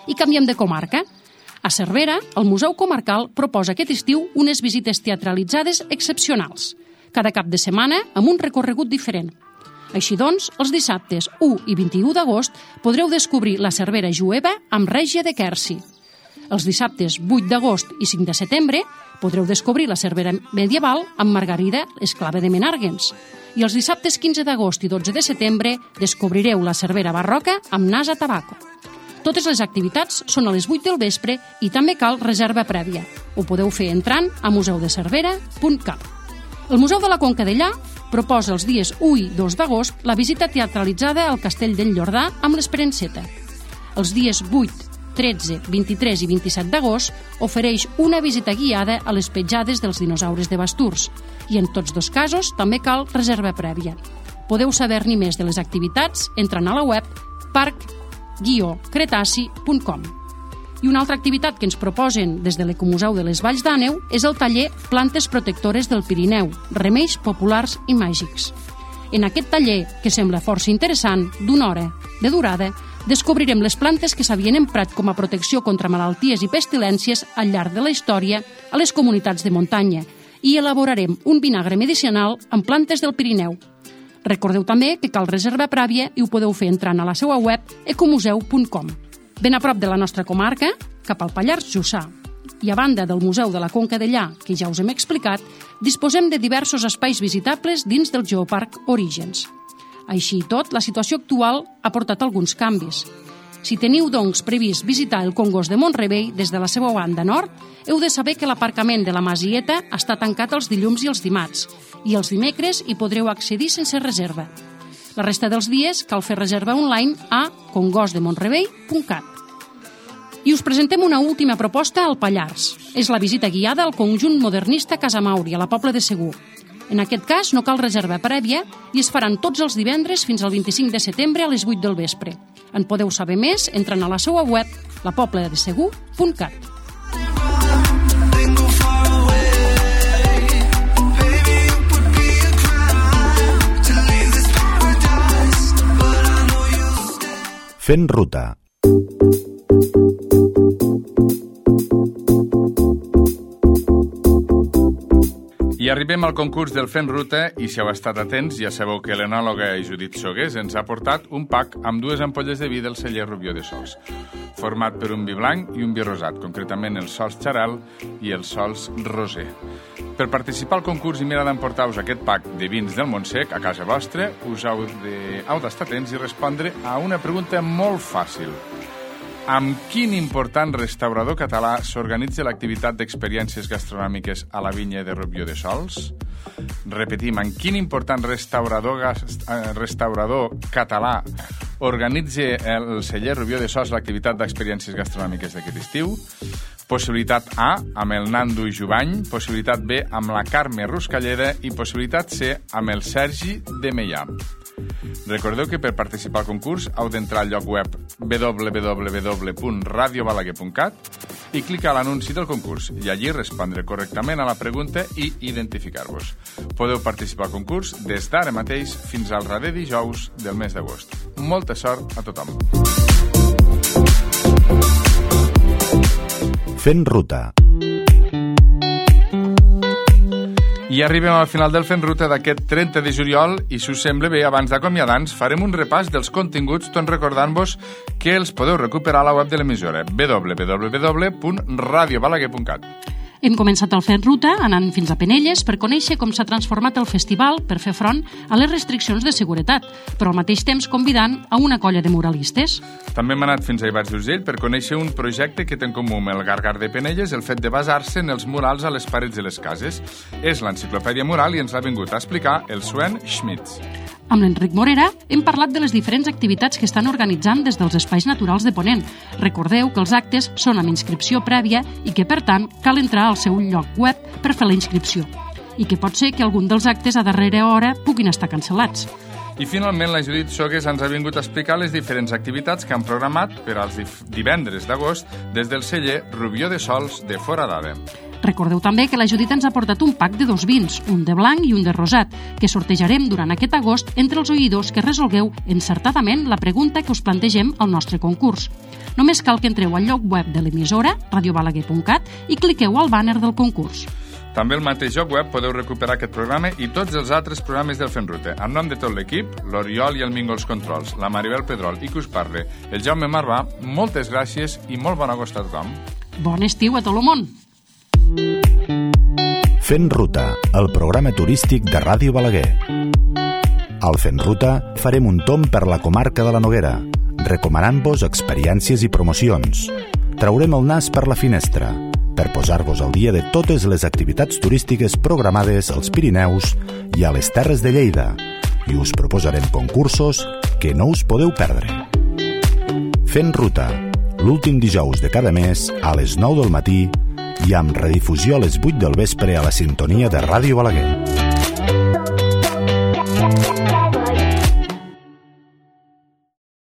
I canviem de comarca. A Cervera, el Museu Comarcal proposa aquest estiu unes visites teatralitzades excepcionals, cada cap de setmana amb un recorregut diferent. Així doncs, els dissabtes u i vint-i-u d'agost podreu descobrir la Cervera jueva amb Règia de Quercy. Els dissabtes vuit d'agost i cinc de setembre podreu descobrir la Cervera medieval amb Margarida, esclava de Menàrguens. I els dissabtes quinze d'agost i dotze de setembre descobrireu la Cervera barroca amb Nasa Tabaco. Totes les activitats són a les vuit del vespre i també cal reserva prèvia. Ho podeu fer entrant a museu de cervera punt cap. El Museu de la Conca Dellà proposa els dies u i dos d'agost la visita teatralitzada al Castell del Llordà amb l'Esperenceta. Els dies vuit, tretze, vint-i-tres i vint-i-set d'agost ofereix una visita guiada a les petjades dels dinosaures de Basturs i en tots dos casos també cal reserva prèvia. Podeu saber-ne més de les activitats entrant a la web parc guió cretaci punt com. I una altra activitat que ens proposen des de l'Ecomuseu de les Valls d'Àneu és el taller Plantes Protectores del Pirineu, remeis populars i màgics. En aquest taller, que sembla força interessant, d'una hora de durada, descobrirem les plantes que s'havien emprat com a protecció contra malalties i pestilències al llarg de la història a les comunitats de muntanya i elaborarem un vinagre medicinal amb plantes del Pirineu. Recordeu també que cal reserva prèvia i ho podeu fer entrant a la seva web ecomuseu punt com. Ben a prop de la nostra comarca, cap al Pallars Jussà. I a banda del Museu de la Conca Dellà, que ja us hem explicat, disposem de diversos espais visitables dins del Geoparc Orígens. Així i tot, la situació actual ha portat alguns canvis. Si teniu, doncs, previst visitar el Congost de Mont-rebei des de la seva banda nord, heu de saber que l'aparcament de la Masieta està tancat els dilluns i els dimarts, i els dimecres hi podreu accedir sense reserva. La resta dels dies cal fer reserva online a congost de montrebei punt cat. I us presentem una última proposta al Pallars. És la visita guiada al conjunt modernista Casa Mauri, a la Pobla de Segur. En aquest cas no cal reserva prèvia i es faran tots els divendres fins al vint-i-cinc de setembre a les vuit del vespre. En podeu saber més entrant a la seva web la pobla de segur punt cat. Fent ruta. I arribem al concurs del Fent Ruta i si heu estat atents ja sabeu que l'enòloga Judit Sogués ens ha portat un pack amb dues ampolles de vi del celler Rubió de Sols, format per un vi blanc i un vi rosat, concretament els sols xaral i els sols roser. Per participar al concurs i mirar d'emportar-vos aquest pack de vins del Montsec a casa vostra, us heu d'estar atents i respondre a una pregunta molt fàcil. Amb quin important restaurador català s'organitza l'activitat d'experiències gastronòmiques a la vinya de Rubió de Sols? Repetim, amb quin important restaurador, restaurador català organitza el celler Rubió de Sols l'activitat d'experiències gastronòmiques d'aquest estiu? Possibilitat A, amb el Nando i Jubany, possibilitat B, amb la Carme Ruscalleda i possibilitat C, amb el Sergi de Meià. Recordeu que per participar al concurs heu d'entrar al lloc web w w w punt radio balaguer punt cat i clicar a l'anunci del concurs i allí respondre correctament a la pregunta i identificar-vos. Podeu participar al concurs des d'ara mateix fins al darrer dijous del mes d'agost. Molta sort a tothom. Fent ruta. I arribem al final del Fent Ruta d'aquest trenta de juliol i, si us sembla bé, abans d'acomiadar-nos, farem un repàs dels continguts, tot recordant-vos que els podeu recuperar a la web de l'emissora w w w punt radio balaguer punt cat. Hem començat el Fent Ruta anant fins a Penelles per conèixer com s'ha transformat el festival per fer front a les restriccions de seguretat, però al mateix temps convidant a una colla de muralistes. També hem anat fins a Ivars d'Urgell per conèixer un projecte que té en comú amb el Gargar de Penelles el fet de basar-se en els murals a les parets de les cases. És l'enciclopèdia mural i ens l'ha vingut a explicar el Sven Schmitz. Amb l'Enric Morera hem parlat de les diferents activitats que estan organitzant des dels espais naturals de Ponent. Recordeu que els actes són amb inscripció prèvia i que, per tant, cal entrar al seu lloc web per fer la inscripció. I que pot ser que algun dels actes a darrera hora puguin estar cancel·lats. I finalment la Judit Sogués ens ha vingut a explicar les diferents activitats que han programat per als divendres d'agost des del celler Rubió de Sols de Foradada. Recordeu també que la Judit ens ha portat un pack de dos vins, un de blanc i un de rosat, que sortejarem durant aquest agost entre els oïdors que resolgueu encertadament la pregunta que us plantegem al nostre concurs. Només cal que entreu al lloc web de l'emissora, radio balaguer punt cat, i cliqueu al bàner del concurs. També al mateix lloc web podeu recuperar aquest programa i tots els altres programes del Fent Ruta. En nom de tot l'equip, l'Oriol i el Mingo els controls, la Maribel Pedrol i que us parle, el Jaume Marvà, moltes gràcies i molt bon agost a tothom. Bon estiu a tot el món! Fent Ruta, el programa turístic de Ràdio Balaguer. Al Fent Ruta farem un tomb per la comarca de la Noguera, recomanant-vos experiències i promocions. Traurem el nas per la finestra, per posar-vos al dia de totes les activitats turístiques programades als Pirineus i a les Terres de Lleida, i us proposarem concursos que no us podeu perdre. Fent Ruta, l'últim dijous de cada mes a les nou del matí i amb redifusió a les vuit del vespre a la sintonia de Ràdio Balaguer.